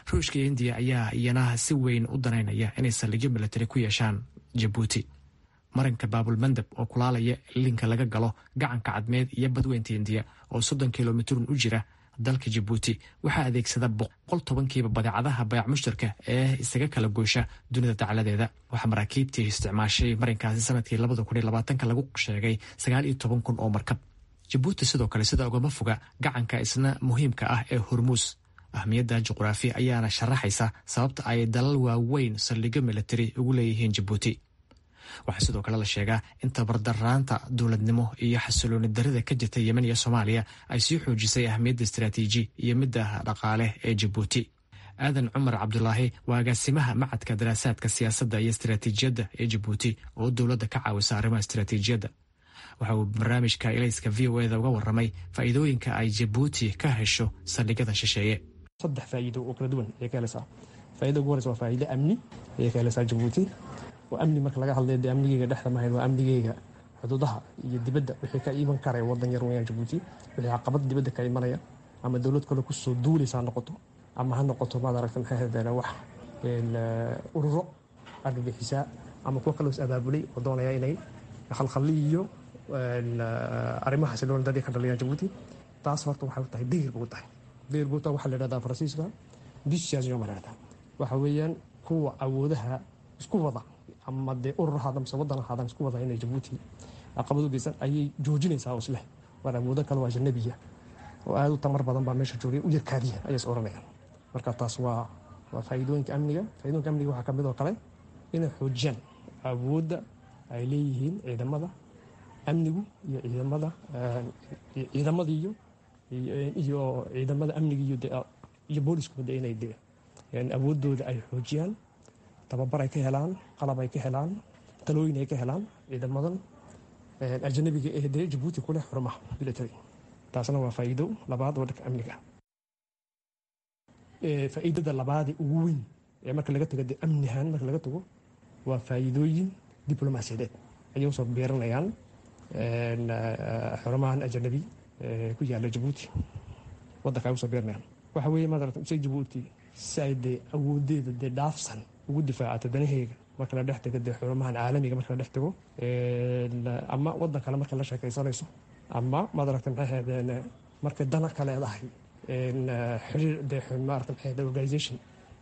Ruushka iyo Indiya ayaa iyana si weyn u danaynaya inay saldhigyo military ku yeeshaan Jabuuti. Marinka Baabulmandab oo kulaalaya linka laga galo gacanka Cadmeed iyo badweynta Indiya oo soddon kilomitrun u jira dalka Jabuuti waxaa adeegsada boqol tobankiiba badeecadaha bayac mushtarka ee isaga kala goosha dunida dacaladeeda. Waxaa maraakiibtii isticmaashay marinkaasi sanadkii labada kun iyo labaatanka lagu sheegay sagaal iyo toban kun oo markab. Jabuuti sidoo kale sida ugama foga gacanka isna muhiimka ah ee Hormuus. Ahmiyadda juqraafi ayaana sharaxaysa sababta ay dalal waaweyn saldhigyo military ugu leeyihiin Jabuuti. Waxaa sidoo kale la sheegaa in tabardaraanta dowladnimo iyo xasilooni darida ka jirta Yemen iyo Soomaaliya ay sii xoojisay ahmiyadda istaraatiiji iyo midda dhaqaale ee Jabuuti. Aadan Cumar Cabdulaahi waa agaasimaha macadka daraasaadka siyaasadda iyo istaraatiijiyadda ee Jabuuti oo dowladda ka caawisa arrimaha istaraatiijiyadda. Waxa uu barnaamijka Ilayska V O eda uga warramay faa'iidooyinka ay Jabuuti ka hesho saldhigyada shisheeye. Saddex faa'iido oo kala duwan ayay ka helaysaa. Faa'iida ugu horeysa waa faa'iido amni ayay ka helaysaa Jabuuti. Oo amni marka laga hadlayo, dee amnigeyga dhexda mahayn, waa amnigeyga xuduudaha iyo dibadda wixii ka iman karaya. Wadan yar weyaan Jabuuti. Wixii caqabad dibadda ka imanaya, ama dowlad kale kusoo duulaysa ha noqoto, ama ha noqoto, maad aragta, maxay ahayd, wax ururo argagixisaa ama kuwo kaloo is abaabulay oo doonaya inay khalkhali iyo arrimaha xasilooni darri ka dhaliyaan Jabuuti, taas horta waxay u tahay dayr buu tahay dayr buu tahay. Waxaa la yidhahdaa Faransiiska dissuasion baa la yidhahdaa. Waxa weeyaan kuwa awoodaha isku wada, ama dee urur ahaada mise waddan ahaadaan, isku wada inay Jabuuti caqabad u geysan ayay joojinaysaa, oo isleh waar awoodo kale oo ajnabiya oo aada u tamar badan baa meesha joogay, u yarkaadiya ayay is oranayaan. Marka taas waa waa faa'iidooyinka amniga. Faa'iidooyinka amniga waxaa ka mid oo kale inay xoojiyaan awoodda ay leeyihiin ciidamada amnigu iyo ciidamada ciidamada iyo iyo ciidamada amniga iyo iyo booliskuba de inay de awooddooda ay xoojiyaan, tababar ay ka helaan, qalab ay ka helaan, talooyin ay ka helaan ciidamadan ajnabiga ee dee Jabuuti ku leh xurumaha military. Taasna waa faa'iido labaad oo dhanka amniga. Faa'iidada labaadee ugu weyn ee marka laga tago dee amnihaan marka laga tago waa faa'iidooyin diblomaasiyadeed ayay usoo beeranayaan xurumahan ajnabi ku yaala Jabuuti waddanka ay usoo beeranayaan. Waxa weeye, maad aragta, se Jabuuti si ay dee awoodeeda dee dhaafsan ugu difaacato danaheyga marka la dhex tago dee xurumahan caalamiga, marka la dhex tago ama waddan kale marka la sheekaysanayso, ama, maad aragta, maxay ahaydeen, markay dana ka leedahay xiriir dee, maarata, maxay ahayd, organization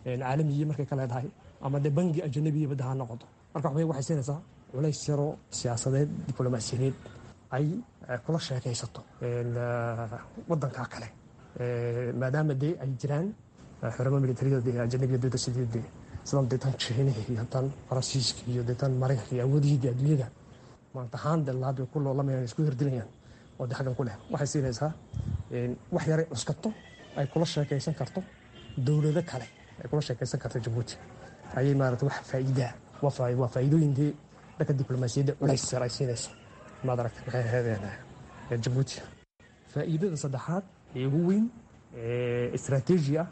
caalamiyi markay ka leedahay, ama dee bangi ajnabiya badda ha noqoto. Marka waxbay waxay siinaysaa culays yaroo siyaasadeed, diblomaasiyadeed ay kula sheekaysato waddanka kale, maadaama dee ay jiraan xuramo militariyada dee ajnabiya dee sidii dee sidan dee tan Shiinaha iyo tan Faransiiska iyo dee tan Maraykanka iyo awoodihii dee adduunyada maanta ahaan dee laad ku loolamayaan, isku hirdilayaan oo dee xaggan ku leh. Waxay siinaysaa wax yaray cuskato ay kula sheekaysan karto dowlado kale, ay kula sheekaysan karto Jabuuti ayay, maarata, wax faa'iidaa. Waa faa'iidooyin dee dhanka diblomaasiyadda culays yar ay siinayso, maad aragta, maxay ahaydeen. Jabuuti. Faa'iidada saddexaad ee ugu weyn ee istaraatiiji ah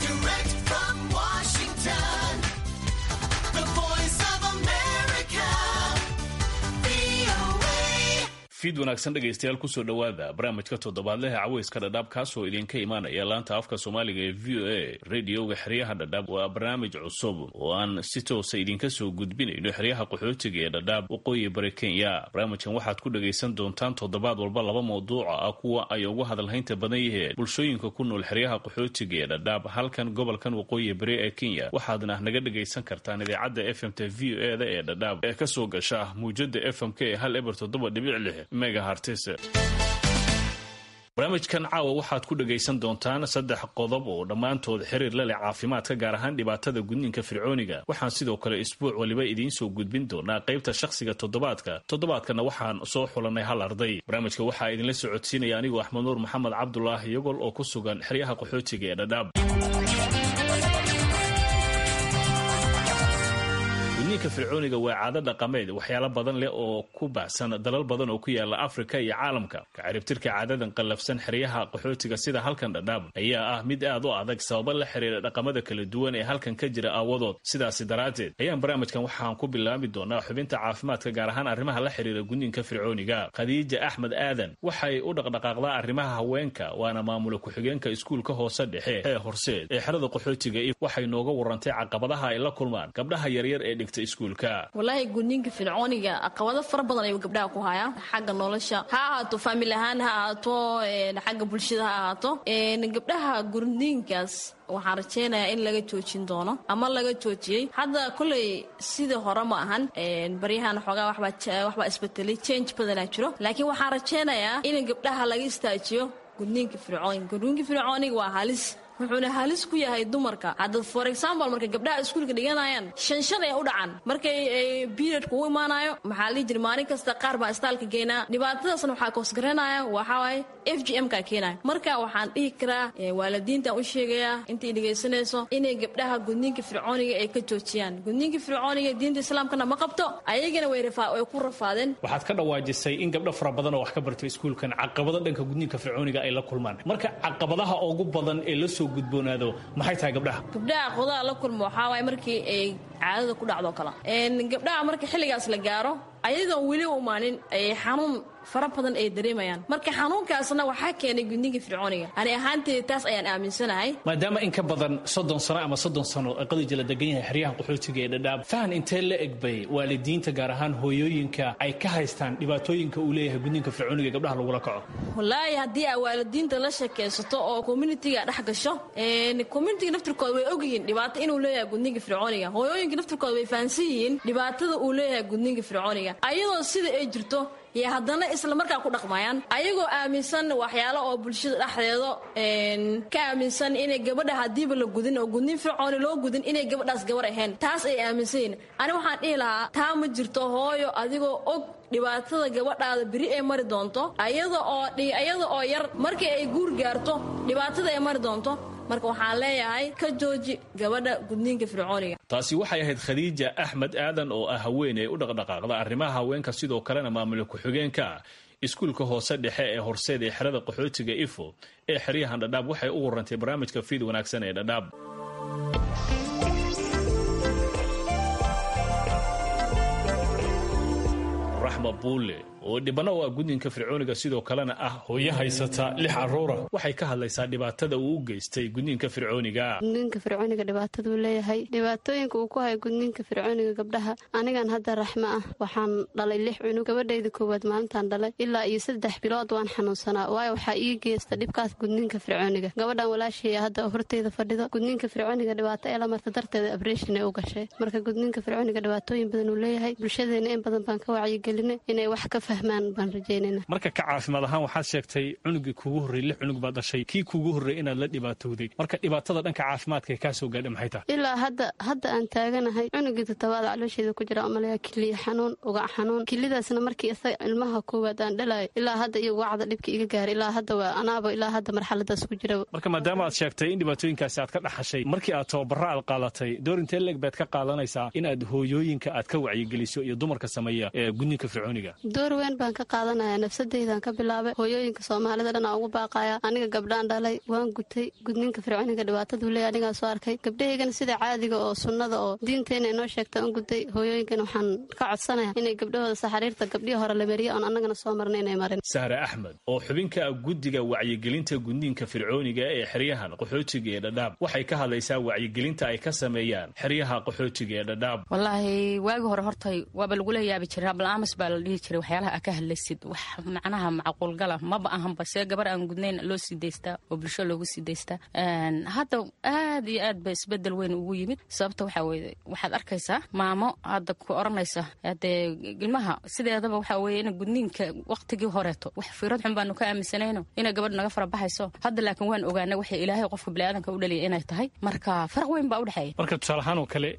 Direct from Washington, the voice of America, V O A. Fiid wanaagsan, dhegaystayaal. Kusoo dhowaada barnaamijka toddobaadleha Caweyska Dhadhaab, kaasoo idinka imaanaya laanta afka Soomaaliga ee V O A, radioga xeryaha Dhadhaab. Waa barnaamij cusub oo aan si toosa idinka soo gudbinayno xeryaha qaxootiga ee Dhadhaab, waqooyi bari Kenya. Barnaamijkan waxaad ku dhagaysan doontaan toddobaad walba laba mawduuca ah, kuwa ay ugu hadalhaynta badan yihiin bulshooyinka ku nool xeryaha qaxootiga ee Dhadhaab, halkan gobolkan waqooyi bari ee Kenya. Waxaadna naga dhagaysan kartaan idaacadda F M ta V O E da ee Dhadhaab ee kasoo gasha muujada F M k ee hal eber toddoba dhibic lix megahertz. Barnaamijkan caawa waxaad ku dhagaysan doontaan saddex qodob oo dhammaantood xiriir la leh caafimaadka, gaar ahaan dhibaatada gudniinka fircooniga. Waxaan sidoo kale isbuuc waliba idiin soo gudbin doonaa qaybta shakhsiga toddobaadka. Toddobaadkana waxaan soo xulanay hal arday. Barnaamijka waxaa idinla socodsiinaya anigoo Axmed Nuur Maxamed Cabdulaahi Yogol oo ku sugan xeryaha qaxootiga ee Dhadhaab. Gudniinka fircooniga waa caado dhaqameed waxyaalo badan leh oo ku baahsan dalal badan oo ku yaala Afrika iyo caalamka. Kacaribtirka caadadan qallafsan xeryaha qaxootiga sida halkan Dhadhaab ayaa ah mid aad u adag, sababo la xiriira dhaqamada kala duwan ee halkan ka jira aawadood. Sidaasi daraaddeed ayaan barnaamijkan waxaan ku bilaabi doonaa xubinta caafimaadka, gaar ahaan arrimaha la xiriira gudniinka fircooniga. Khadiija Axmed Aadan waxay u dhaqdhaqaaqdaa arrimaha haweenka, waana maamula ku-xigeenka iskuulka hoose dhexe ee Horseed ee xerada qaxootiga. Waxay nooga warantay caqabadaha ay la kulmaan gabdhaha yaryar ee dhigta iskuulka. Walaahi, gudniinka fircooniga caqabado fara badan ayuu gabdhaha ku hayaa, xagga nolosha ha ahaato, family ahaan ha ahaato, xagga bulshada ha ahaato. Gabdhaha gudniinkaas waxaan rajeynayaa in laga joojin doono ama laga joojiyey hadda. Koley sidii hore ma ahan, baryahan xoogaa waxbaa isbetelay, change badanaa jiro, laakiin waxaan rajeynayaa in gabdhaha laga istaajiyo gudniinka fircooniga. Gudniinka fircooniga waa halis, wuxuuna halis ku yahay dumarka. Hadda, for example, marka gabdhaha iskuulka dhiganayaan, shan shan ay u dhacan markay periodka u imaanayo. Maxaa lihi jira, maalin kasta qaar baa istaalka geynaa. Dhibaatadaasna waxaa koosgaranaya, waxaa waaye F G M ka keenaya. Marka waxaan dhihi karaa, waalidiintaan u sheegayaa intay dhegaysanayso, inay gabdhaha gudniinka fircooniga ay ka joojiyaan. Gudniinka fircooniga diinta Islaamkana ma qabto, ayagana way way ku rafaadeen. Waxaad ka dhawaajisay in gabdho fara badan oo wax ka bartay iskuulkan caqabado dhanka gudniinka fircooniga ay la kulmaan. Marka caqabadaha ugu badan ee la soo gudboonaado maxay tahay gabdhaha? Gabdhaha caqabadaha la kulmo waxaa waaye markii ay caadada ku dhacdo kala. Gabdhaha marka xilligaas la gaaro, ayadoon weli u imaanin, ay xanuun fara badan ay dareemayaan. Marka xanuunkaasna waxaa keenay gudniinka fircooniga. Ani ahaanteeda taas ayaan aaminsanahay. Maadaama in ka badan soddon sano ama soddon sano Qadija la degan yahay xeryahan qaxootiga ee Dhadhaab, fahan intee la egbay waalidiinta, gaar ahaan hooyooyinka, ay ka haystaan dhibaatooyinka uu leeyahay gudniinka fircooniga ee gabdhaha lagula kaco? Wallaahi, haddii aa waalidiinta la sheekaysato oo communityga dhex gasho, communityga naftirkooda way ogyihiin dhibaato inuu leeyahay gudniinka fircooniga. Hooyooyinka naftirkooda way fahansan yihiin dhibaatada uu leeyahay gudniinka fircooniga. Ayadoo sida ay jirto iyo haddana isla markaa ku dhaqmayaan, ayagoo aaminsan waxyaalo oo bulshada dhexdeeda ka aaminsan, inay gabadha hadiiba la gudin oo gudniin fircooni loo gudin inay gabadhaas gabar ahayn, taas ay aaminsan yihiin. Ani waxaan dhihi lahaa, taa ma jirto. Hooyo, adigoo og dhibaatada gabadhaada beri ay mari doonto, ayada oo iyada oo yar markii ay guur gaarto dhibaatada ay mari doonto, marka waxaan leeyahay ka jooji gabadha gudniinka fircooniga. Taasi waxay ahayd Khadiija Axmed Aadan oo ah haweeney u dhaqdhaqaaqda arrimaha haweenka, sidoo kalena maamula ku-xigeenka iskuulka hoose dhexe ee Horseed ee xerada qaxootiga Ifo ee xeryahan Dhadhaab. Waxay u warantay barnaamijka Fiid Wanaagsan ee Dhadhaab. Raxma Buule oo dhibano u ah gudniinka fircooniga, sidoo kalena ah hooyo haysata lix caruura, waxay ka hadlaysaa dhibaatada uu u geystay gudniinka fircooniga. Gudniinka fircooniga dhibaataduu leeyahay, dhibaatooyinka uu ku hayo gudniinka fircooniga gabdhaha. Anigan hadda Raxmo ah waxaan dhalay lix cunug. Gabadhayda koowaad maalintaan dhalay ilaa iyo saddex bilood waan xanuunsanaa, waayo waxaa ii geysta dhibkaas gudniinka fircooniga. Gabadhan walaasheeya hadda horteyda fadhido, gudniinka fircooniga dhibaato ee la marta darteeda operation ay u gashay. Marka gudniinka fircooniga dhibaatooyin badan uu leeyahay. Bulshadeena in badan baan ka wacyigelinay inay wax ka fahmaan. fahmaan baan rajeynayna. Marka ka caafimaad ahaan waxaad sheegtay cunugii kuugu horreeyey lix cunug baad dhashay, kii kuugu horreeyey inaad la dhibaatowday. Marka dhibaatada dhanka caafimaadka ee kaa soo gaadha maxay tahay? Ilaa hadda hadda aan taaganahay cunugii toddobaad caloosheeda ku jira umaleeya kiliya xanuun, ugac xanuun. Kilidaasna markii isaga ilmaha koowaad aan dhalayo ilaa hadda iyo wacda dhibka iga gaaray ilaa hadda waa anaaba ilaa hadda marxaladaas ku jira. Marka maadaama aad sheegtay in dhibaatooyinkaasi aad ka dhaxashay, markii aad tababarro aad qaadatay, door intee leeg baad ka qaadanaysaa in aad hooyooyinka aad ka wacyigeliso iyo dumarka sameeya ee gudniinka fircooniga? Door weyn baan ka qaadanaya, nafsadaydan ka bilaabay, hooyooyinka soomaalida dhan aan ugu baaqaya. Aniga gabdhaan dhalay waan gutay gudniinka fircooniga dhibaataduu leeyahay anigaa soo arkay. Gabdhahaygana sida caadiga oo sunnada oo diinteena inoo sheegta un gutay. Hooyooyinkan waxaan ka codsanaya inay gabdhahooda saxariirta gabdhihii hore la mariya oon annagana soo marna inay marin. Sahre Axmed oo xubinka guddiga wacyigelinta gudniinka fircooniga ee xeryahan qaxootiga ee Dhadhaab waxay ka hadlaysaa wacyigelinta ay ka sameeyaan xeryaha qaxootiga ee Dhadhaab. Wallaahi waagi hore horta waaba lagula yaabi jiray, ablaamas baa la dhihi jiray, waxyaalaha aa ka hadlaysid wax macnaha macquulgala maba ahanba, see gabar aan gudnayn loo sii daystaa oo bulsho loogu sii daystaa. Hadda aad iyo aad ba isbedel weyn ugu yimid. Sababta waxaa weye waxaad arkaysaa maamo hadda ku oranaysa hadee ilmaha sideedaba waxaa weye in gudniinka waqtigii horeeto wax fiirad xun baanu ka aaminsanayno inay gabadh naga farabaxayso. Hadda laakiin waan ogaanay waxay ilaahay qofka biniaadanka u dhaliyay inay tahay, marka faraq weyn baa u dhexeeya. Marka tusaale ahaan oo kale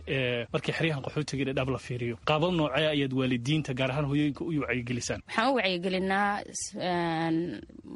markii xeryahan qaxootiga Dhadhaab la fiiriyo, qaabab noocee ayaad waalidiinta gaar ahaan hooyooyinka u wacyigelisaan? Waxaan u wacyigelinaa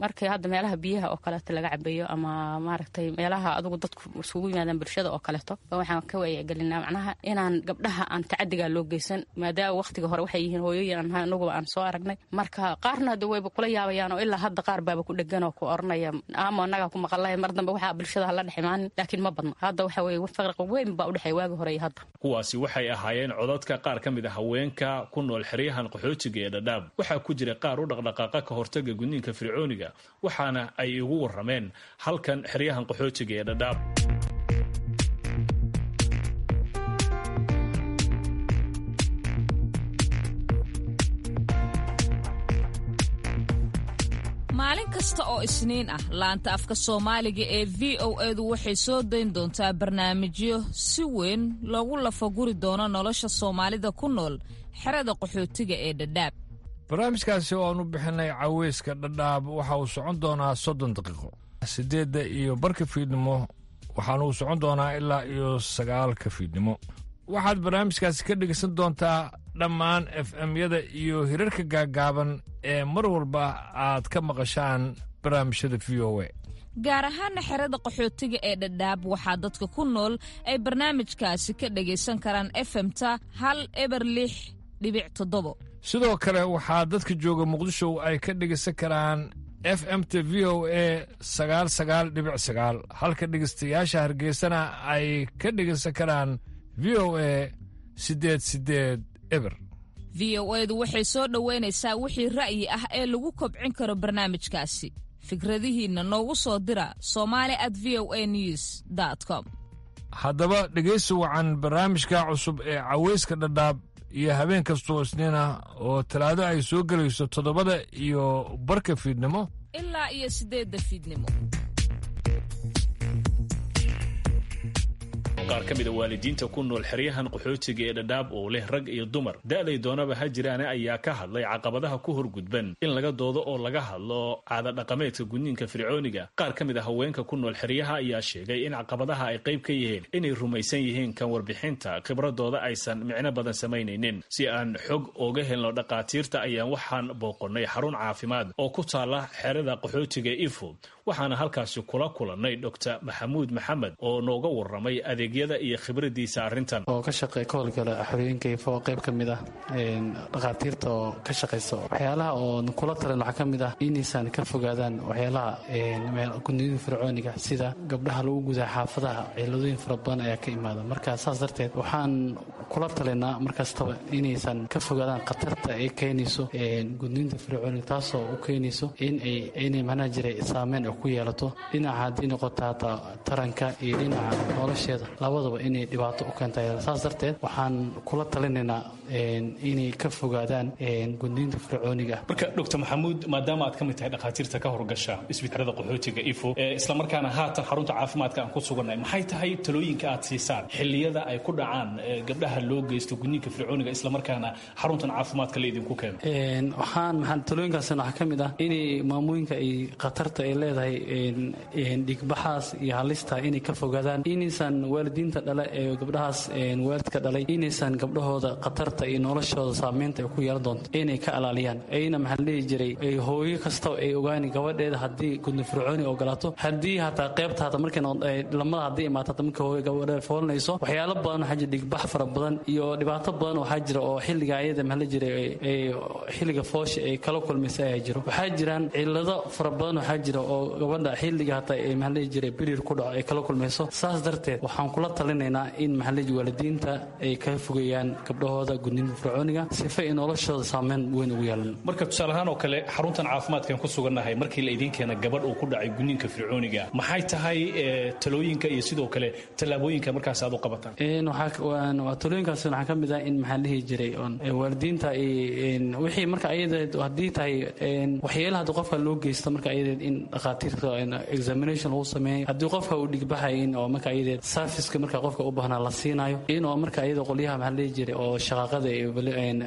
markii hadda meelaha biyaha oo kaleeto laga cabayo ama maaragtay meelaha adugu dadku isugu yimaadaan bulshada oo kaleeto, waxaan ka wacyigelinaa macnaha inaan gabdhaha aan tacadigaa loo geysan, maadaama waqtiga hore waxay yihiin hooyooyin aan ahay anaguba aan soo aragnay. Marka qaarna hadda wayba kula yaabayaan oo ilaa hadda qaar baaba ku dhegan oo ku oranaya aamo annagaa ku maqalaya mar dambe waxaa bulshada hala dhex imaanin, laakiin ma badno. Hadda waxa weye farqi weyn baa u dhexeeya waagi hore iyo hadda. Kuwaasi waxay ahaayeen codadka qaar ka mid a haweenka ku nool xeryahan qaxootiga ee Dhadhaab. Waxaa ku jira qaar u dhaqdhaqaaqa ka hortaga gudniinka fircooniga, waxaana ay igu warrameen halkan xeryahan qaxootiga ee Dhadhaab. Maalin kasta oo Isniin ah laanta afka Soomaaliga ee V O edu waxay soo dayn doontaa barnaamijyo si weyn loogu lafaguri doono nolosha soomaalida ku nool xerada qaxootiga ee Dhadhaab. Barnaamijkaasi oo aanu bixinay caweyska Dhadhaab waxa uu socon doonaa soddon daqiiqo, siddeedda iyo barka fiidnimo, waxaana uu socon doonaa ilaa iyo sagaalka fiidnimo. Waxaad barnaamijkaasi ka dhegaysan doontaa dhammaan F M-yada iyo hirarka gaaggaaban ee mar walba aad ka maqashaan barnaamijyada V O A. Gaar ahaana xerada qaxootiga ee Dhadhaab waxaa dadka ku nool ay barnaamijkaasi ka dhagaysan karaan F M-ta hal eber lix dhibic toddobo. Sidoo kale waxaa dadka jooga Muqdisho ay ka dhegaysan karaan F M T V O A sagaal sagaal dhibic sagaal, halka dhegaystayaasha Hargeysana ay ka dhegaysan karaan V O A siddeed siddeed eber. V O edu waxay soo dhoweynaysaa wixii ra'yi ah ee lagu kobcin karo barnaamijkaasi. Fikradihiinna noogu soo dira somali at v o a news com. Haddaba dhegaysi wacan barnaamijka cusub ee caweyska Dhadhaab iyo habeen kastoo Isniin ah oo Talaado ay soo gelayso toddobada iyo barka fiidnimo ilaa iyo siddeedda fiidnimo. Qaar ka mid a waalidiinta ku nool xeryahan qaxootiga ee Dhadhaab oo leh rag iyo dumar da'day doonaba ha jiraane ayaa ka hadlay caqabadaha ku horgudban in laga doodo oo laga hadlo caada dhaqameedka gudniinka fircooniga. Qaar ka mid a haweenka ku nool xeryaha ayaa sheegay in caqabadaha ay qayb ka yihiin inay rumaysan yihiin kan warbixinta khibradooda aysan micno badan samaynaynin. Si aan xog ooga helno dhaqaatiirta ayaan waxaan booqonnay xarun caafimaad oo ku taala xerada qaxootiga Ifo, waxaana halkaasi kula kulannay Doctor Maxamuud Maxamed oo nooga warramay adeegyada iyo khibradiisa arrintan. Oo ka shaqeey ka howlgala xorooyinka Ifo, qayb ka mid ah dhakhaatiirta oo ka shaqaysa. Waxyaalaha oo kula talan waxaa ka mid ah inaysan ka fogaadaan waxyaalaha gudniinka fircooniga, sida gabdhaha lagu gudaa xaafadaha. Ciladooyin fara badan ayaa ka imaada. Marka saas darteed waxaan kula talinaa markastaba inaysan ka fogaadaan khatarta ay keenayso gudniinta fircooniga, taasoo u keenayso inay inay macnaha jiray saameyn ay ku yeelato dhinaca haddii noqoto hataa taranka iyo dhinaca nolosheeda, labadaba inay dhibaato u keentay. Saas darteed waxaan kula talinaynaa inay ka fogaadaan gudniinta fircooniga. Marka Doctor Maxamuud, maadaama aad ka mid tahay dhakhaatiirta ka horgasha isbitaalada qaxootiga Ifo, islamarkaana haatan xarunta caafimaadka aan ku sugannahay, maxay tahay talooyinka aad siisaan xilliyada ay ku dhacaan gabdhaha loo geysto gudniinka fircooniga islamarkaana xaruntan caafimaadka la idinku keeno? Waxaan maxaa talooyinkaasna waxaa ka mid ah inay maamooyinka ay khatarta ay leedahay dhigbaxaas iyo halista inay ka fogaadaan, inaysan waalidiinta dhale ee gabdhahaas waalidka dhalay inaysan gabdhahooda khatarta iyo noloshooda saameynta ay ku yeelan doonto inay ka alaaliyaan. Ayna maxaa la dhihi jiray hooyo kasta ay ogaani gabadheeda haddii gudni fircooni ogolaato, haddii hataa qaybta hata markay lamada haddii imaato hata marka hooyo gabadheeda foolanayso waxyaalo badan waxaa jira dhigbax fara badan iyo dhibaato badan waxaa jira oo xilliga ayada maxaa la jiray xilliga foosha ay kala kulmaysa ayaa jiro. Waxaa jiraan cillado fara badan waxaa jira oo gabadha xilliga hataa ay maxaa la dhihi jiray birir ku dhaco ay kala kulmayso. Saas darteed waxaan kula talinaynaa in maxaa la dhihi waalidiinta ay ka fogeeyaan gabdhahooda gudniinka fircooniga sifa ay noloshooda saameyn weyn ugu yeelan. Marka tusaale ahaan oo kale xaruntan caafimaadkan ku sugannahay markii la idiin keena gabadh uu ku dhacay gudniinka fircooniga, maxay tahay talooyinka iyo sidoo kale tallaabooyinka markaas aad u qabataan? Talooyinkaas waxaa ka mid ah in maxaa la dhihi jiray waalidiinta wixii marka ayadeed haddii tahay waxyeelaha haddii qofka loo geysto marka ayadeed in dhakhaatiirta examination lagu sameeyo, haddii qofka uu dhigbaxay in oo marka ayadeed serviceka marka qofka u baahnaa la siinayo, in oo marka ayada qolyaha maxaa la dhihi jiray oo shaqaaqada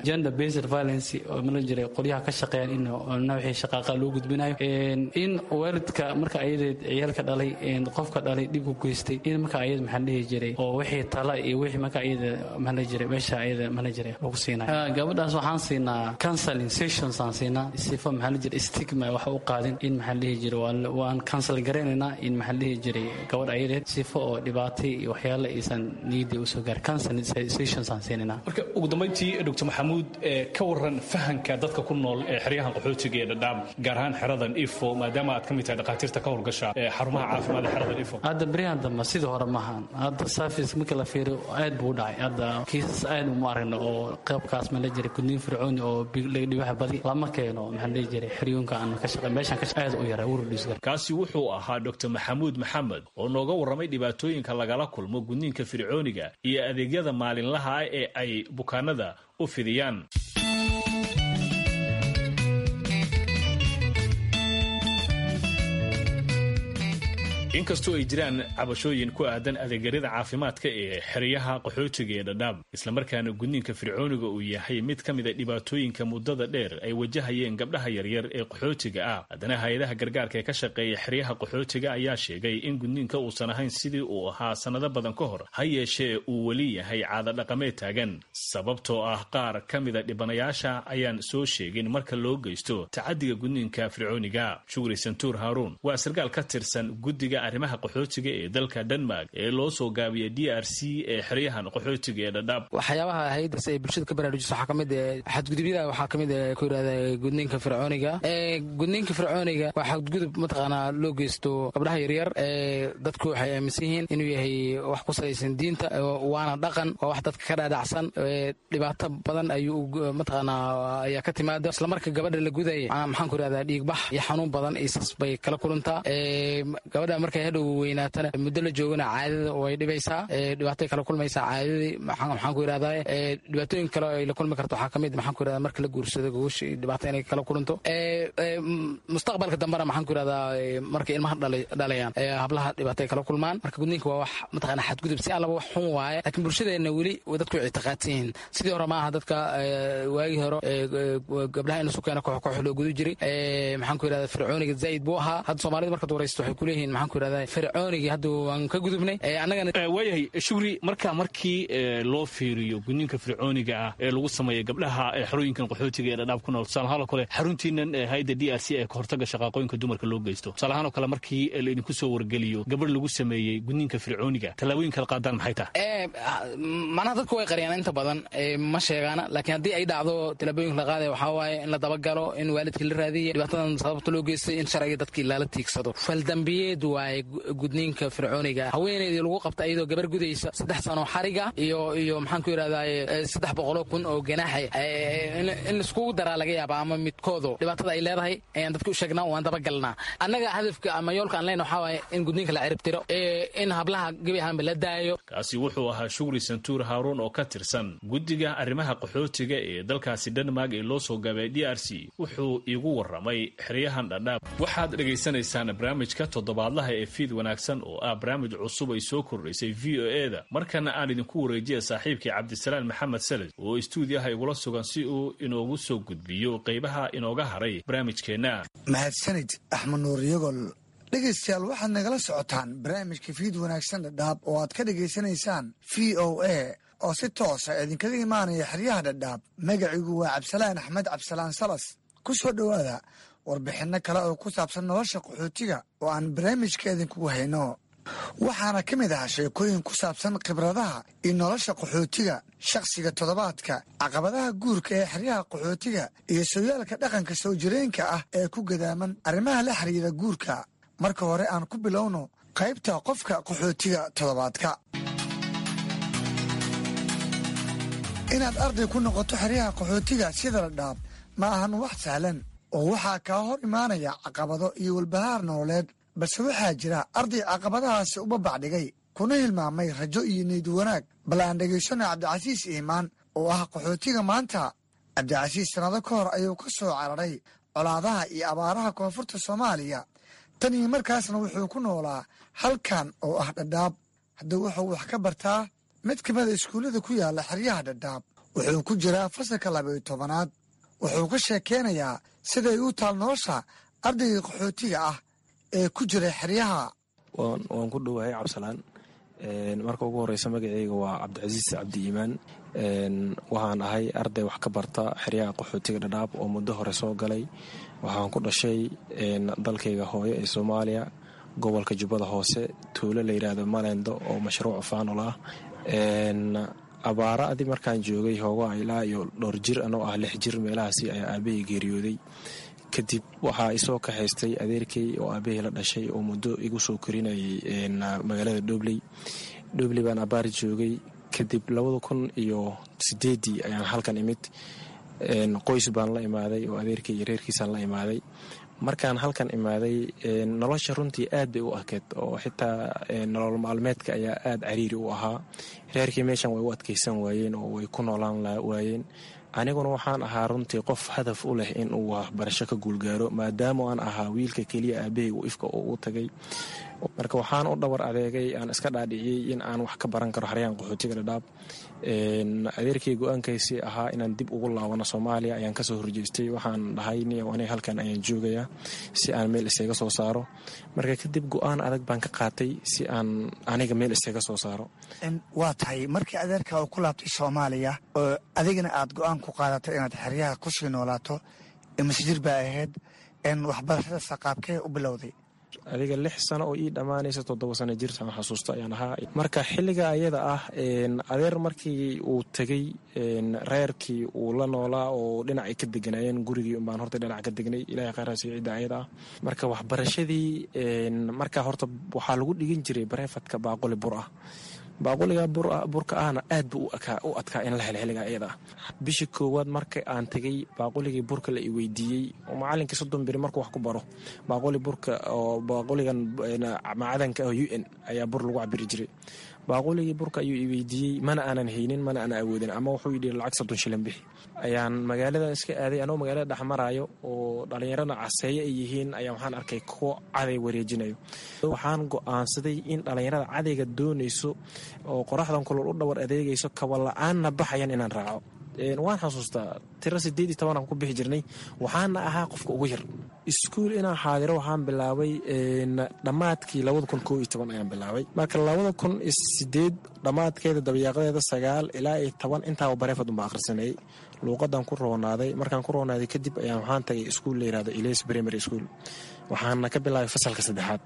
gender based violence oo maxaa la jiray qolyaha ka shaqeeyaan in wixii shaqaaqa loo gudbinayo, in waalidka marka ayadeed ciyaalka dhalay qofka dhalay dhib ku geystay in marka ayada maxaa la dhihi jiray oo wixii tala iyo wixii marka ayada maxaa la jiray meesha ayada maxaa la jiray lagu siinayo. Gabadhaas waxaan siinaa counseling sessions aan siinaa sifa maxaa la jiray stigma wax u qaadin in maxaa la dhihi jiray waan counsel garaynaynaa in maxaa la dhihi jiray gabadh ayadeed sifo oo dhibaatay iyo waxyaalo aysan niyadda usoo gaar counseling sessions aan siinaynaa. Marka ugu dambeyntii Doctor Maxamuud, ka waran fahanka dadka ku nool ee xeryahan qaxootiga ee Dhadhaab, gaar ahaan xeradan Ifo, maadaama aad ka mid tahay dhakhaatiirta ka howlgasha xarumaha caafimaad ee xeradan Ifo? Hadda beryahan dambe sidii hore maahan, hadda service marka la fiiriyo aad buu u dhacay. Hadda kiisas aad uma aragno oo qaybkaas ma la jiray gudniin fircooni oo dhibaxa badi lama keeno maxaa la dhihi jiray xeryoonka aan ka shaqey meeshan ka aad u yaray urudhisgar. Kaasi wuxuu ahaa Doctor Maxamuud Maxamed oo nooga warramay dhibaatooyinka lagala kulmo gudniinka fircooniga iyo adeegyada maalinlaha ah ee ay bukaanada u fidiyaan. Inkastoo ay jiraan cabashooyin ku aadan adeegyada caafimaadka ee xeryaha qaxootiga ee Dhadhaab, islamarkaana gudniinka fircooniga uu yahay mid ka mid a dhibaatooyinka muddada dheer ay wajahayeen gabdhaha yaryar ee qaxootiga ah, haddana hay-adaha gargaarka ee ka shaqeeya xeryaha qaxootiga ayaa sheegay in gudniinka uusan ahayn sidii uu ahaa sannado badan ka hor, ha yeeshee uu weli yahay caado dhaqameed taagan, sababtoo ah qaar ka mida dhibanayaasha ayaan soo sheegin marka loo geysto tacadiga gudniinka fircooniga. Shukri Santuur Haaruun waa sarkaal ka tirsan guddiga arrimaha qaxootiga ee dalka Denmark ee loo soo gaabiyay D R C ee xeryahan qaxootiga ee Dhadhaab. Waxyaabaha hay'adaas ay bulshada ka baraarujiso waxaa kamid ah xadgudubyada, waxaa kamid ah ku yiraahda gudniinka fircooniga. Ee gudniinka fircooniga waa xadgudub mataqaanaa loo geysto gabdhaha yaryar. Ee dadku waxay aaminsan yihiin inuu yahay wax ku salaysan diinta, waana dhaqan, waa wax dadka ka dhaadhacsan. Dhibaato badan ayuu mataqaanaa ayaa ka timaada isla marka gabadha la gudaya, maxaan ku yirahdaa dhiigbax iyo xanuun badan iyo sas bay kala kulantaa. Ee gabadha markay hadhow weynaatana muddo la joogana caadada way dhibaysaa, dhibaatay kala kulmaysaa caadadii. Maxaan ku yirahdaa dhibaatooyin kale ay la kulmi karto waxaa kamid maxaan ku yirahdaa marka la guursado gogosha dhibaato inay kala kulanto. Mustaqbalka dambena maxaan ku yirahdaa markay ilmaha dhalayaan hablaha dhibaatay kala kulmaan. Marka gudniinka waa wax mataqaanaa xadgudub si allaba wax xun waaye, laakiin bulshadeena weli dadku ictiqaadsan yihiin sidii hore maaha. Dadka waagii hore gabdhaha in lasu keeno koox koox loo gudu jiray, maxaan ku yirahdaa fircooniga zaid buu ahaa. Hadda soomaalida markaad waraysto waxay kuleeyihiin maxaan ku yirahdaa fircoonigii hadda waan ka gudubnay annagana. Waayahay Shukri, marka markii loo fiiriyo gudniinka fircooniga ah ee lagu sameeyo gabdhaha xerooyinkan qaxootiga ee Dhadhaab ku nool, tusaale ahaan oo kale xaruntiinan hay'adda D R C ee ka hortagga shaqaaqooyinka dumarka loo geysto, tusaale ahaan oo kale markii laidinku soo wargeliyo gabadh lagu sameeyey gudniinka fircooniga, tallaabooyinka la qaadaan maxay tahay? Macnaha dadku way qariyaan inta badan, ma sheegaana, laakiin haddii ay dhacdo tallaabooyinka la qaadaya waxaa waaye in la dabagalo, in waalidkii la raadiya dhibaatadan sababta loo geystay, in sharciga dadkii lala tiigsado. Faldambiyeed waaye gudniinka fircooniga. Haweeneydii lagu qabta iyadoo gabar gudaysa saddex sano xariga iyo iyo maxaan ku yirahdaa saddex boqoloo kun oo ganaaxa in laiskugu daraa laga yaaba ama midkoodo dhibaatada ay leedahay ayaan dadka u sheegnaa, waan dabagalnaa. Annaga hadafka ama yoolka aan leenahay waxaa waaye in gudniinka la ciribtiro, in hablaha gebi ahaanba la daayo. Kaasi wuxuu ahaa Shukri Santuur Haaruun oo ka tirsan guddiga arrimaha qaxootiga ee dalkaasi Denmark ee loo soo gaabay D R C. Wuxuu iigu warramay xeryahan Dhadhaab. Waxaad dhegaysanaysaan barnaamijka toddobaadlaha ee Fiid Wanaagsan oo ah barnaamij cusub ay soo kordhaysay V O E da. Markana aan idinku wareejiya saaxiibkii Cabdisalaan Maxamed Saled oo istuudiyaha igula sugan si uu inoogu soo gudbiyo qaybaha inooga haray barnaamijkeenna. Mahadsanid Axmed Nuur Yagol. Dhegaystayaal, waxaad nagala socotaan barnaamijka Fiid Wanaagsan Dhadhaab oo aad ka dhegaysanaysaan V O A oo si toosa idinkaga imaanaya xeryaha Dhadhaab. Magacigu waa Cabsalaan Axmed Cabsalaan Salas. Ku soo dhowaada warbixinno kale oo ku saabsan nolosha qaxootiga oo aan barnaamijka idinkugu hayno. Waxaana ka mid ah sheekooyin ku saabsan khibradaha iyo nolosha qaxootiga, shakhsiga toddobaadka, caqabadaha guurka ee xeryaha qaxootiga iyo sooyaalka dhaqanka soo jireenka ah ee ku gadaaman arrimaha la xiriira guurka. Marka hore aan ku bilowno qaybta qofka qaxootiga toddobaadka. Inaad arday ku noqoto xeryaha qaxootiga sida Dhadhaab ma ahan wax sahlan, oo waxaa kaa hor imaanaya caqabado iyo walbahaar nololeed, balse waxaa jira arday caqabadahaasi u babacdhigay kuna hilmaamay rajo iyo niyad wanaag. Bal aan dhegaysano Cabdicasiis Iimaan oo ah qaxootiga maanta. Cabdicasiis sannado ka hor ayuu ka soo cararay colaadaha iyo abaaraha koonfurta Soomaaliya. Tan iyo markaasna wuxuu ku noolaa halkan oo ah Dhadhaab. Haddii wuxuu wax ka bartaa mid ka mida iskuullada ku yaalla xeryaha Dhadhaab. Wuxuu ku jiraa fasalka laba iyo tobanaad. Wuxuu ka sheekeynayaa siday u taal nolosha ardayga qaxootiga ah ee ku jira xeryaha. Waan ku dhowahay, Cabsalaan. Marka ugu horeysa, magaceyga waa Cabdicasiis Cabdi Iimaan. Waxaan ahay arday wax ka barta xeryaha qaxootiga Dhadhaab oo muddo hore soo galay. Waxaan ku dhashay dalkayga hooyo ee Soomaaliya, gobolka Jubbada Hoose, tuulo la yidhaahdo Malendo oo mashruuc faanol ah. Abaara adi markaan joogay hoogaa ilaa iyo dhowr jir anoo ah, lix jir meelahaasi, ayaa aabahey geeriyooday. Kadib waxaa isoo kaxaystay adeerkay oo aabahey la dhashay oo muddo igu soo korinayay magaalada Dhobley. Dhobley baan abaar joogay. Kadib labada kun iyo sideedii ayaan halkan imid. Qoys baan la imaaday oo adeerkay iyo reerkiisaan la imaaday. Markaan halkan imaaday, nolosha runtii aad bay u adkeed, oo xitaa nolol maalmeedka ayaa aad cariiri u ahaa. Reerkii meeshan way u adkaysan waayeen oo way ku noolaan waayeen. Aniguna waxaan ahaa runtii qof hadaf u leh inuu waxbarasho ka guulgaaro, maadaama aan ahaa wiilka keliya aabahey uu ifka oo u tagay. Marka waxaan u dhabar adeegay, aan iska dhaadhiciyey in aan wax ka baran karo xeryahan qaxootiga Dhadhaab. Adeerkay go-aankaysii ahaa inaan dib ugu laabano Soomaaliya ayaan kasoo horjeestay. Waxaan dhahay, niyow, aniga halkan ayaan joogayaa si aan meel isaga soo saaro. Marka kadib go-aan adag baan ka qaatay si aan aniga meel isaga soo saaro. Waa tahay, markii adeerka uu ku laabtay Soomaaliya oo adigana aad go-aan ku qaadatay inaad xeryaha kusii noolaato, imise jir baa ahayd? Waxbarashada saqaabkee u bilowday? Adiga lix sano oo ii dhammaanaysa toddoba sano jirtaan xasuusta ayaan ahaa. Marka xilliga ayada ah, adeer markii uu tegey, reerkii uu la noolaa oo dhinacay ka deganaayeen, gurigii unbaan horta dhinac ka degnay. Ilahay khayraasi cidda ayada ah. Marka waxbarashadii marka horta waxaa lagu dhigin jiray bareefadka baaquli bur ah. Baaquliga burka ahna aad buu u adkaa in la helo xilliga ayada ah. Bishii koowaad marka aan tegey, baaquligii burka la i weydiiyey oo macalinkii soddon beri markuu wax ku baro, baaquli burka oo baaquligan macadanka ah U N ayaa bur lagu cabiri jiray, baaquligii burka ayuu i weydiiyey. Mana aanan haynin, mana aanan awoodin, ama wuxuu yidhi lacag soddon shilin bixi. Ayaan magaaladan iska aaday. Anoo magaalada dhex maraayo oo dhallinyarada caseeye ay yihiin ayaa waxaan arkay kuwo caday wareejinayo. Waxaan go'aansaday in dhallinyarada cadayga doonayso oo qoraxdan kulol u dhawar adeegayso, kaba la-aanna baxayan, inaan raaco. Waan xasuustaa tiro sideed iyo toban aan ku bixi jirnay, waxaana ahaa qofka ugu yar. Iskuul inaan xaadiro waxaan bilaabay dhammaadkii labada kun koo iyo toban ayaan bilaabay. Marka labada kun iyo sideed dhammaadkeeda, dabayaaqadeeda, sagaal ilaa iyo toban intaaba bareefad unba akhrisanayay. Luuqadan ku roonaaday. Markaan ku roonaaday kadib ayaan waxaan tagay iskuul la yirahdo Ilays Primary School, waxaana ka bilaabay fasalka saddexaad.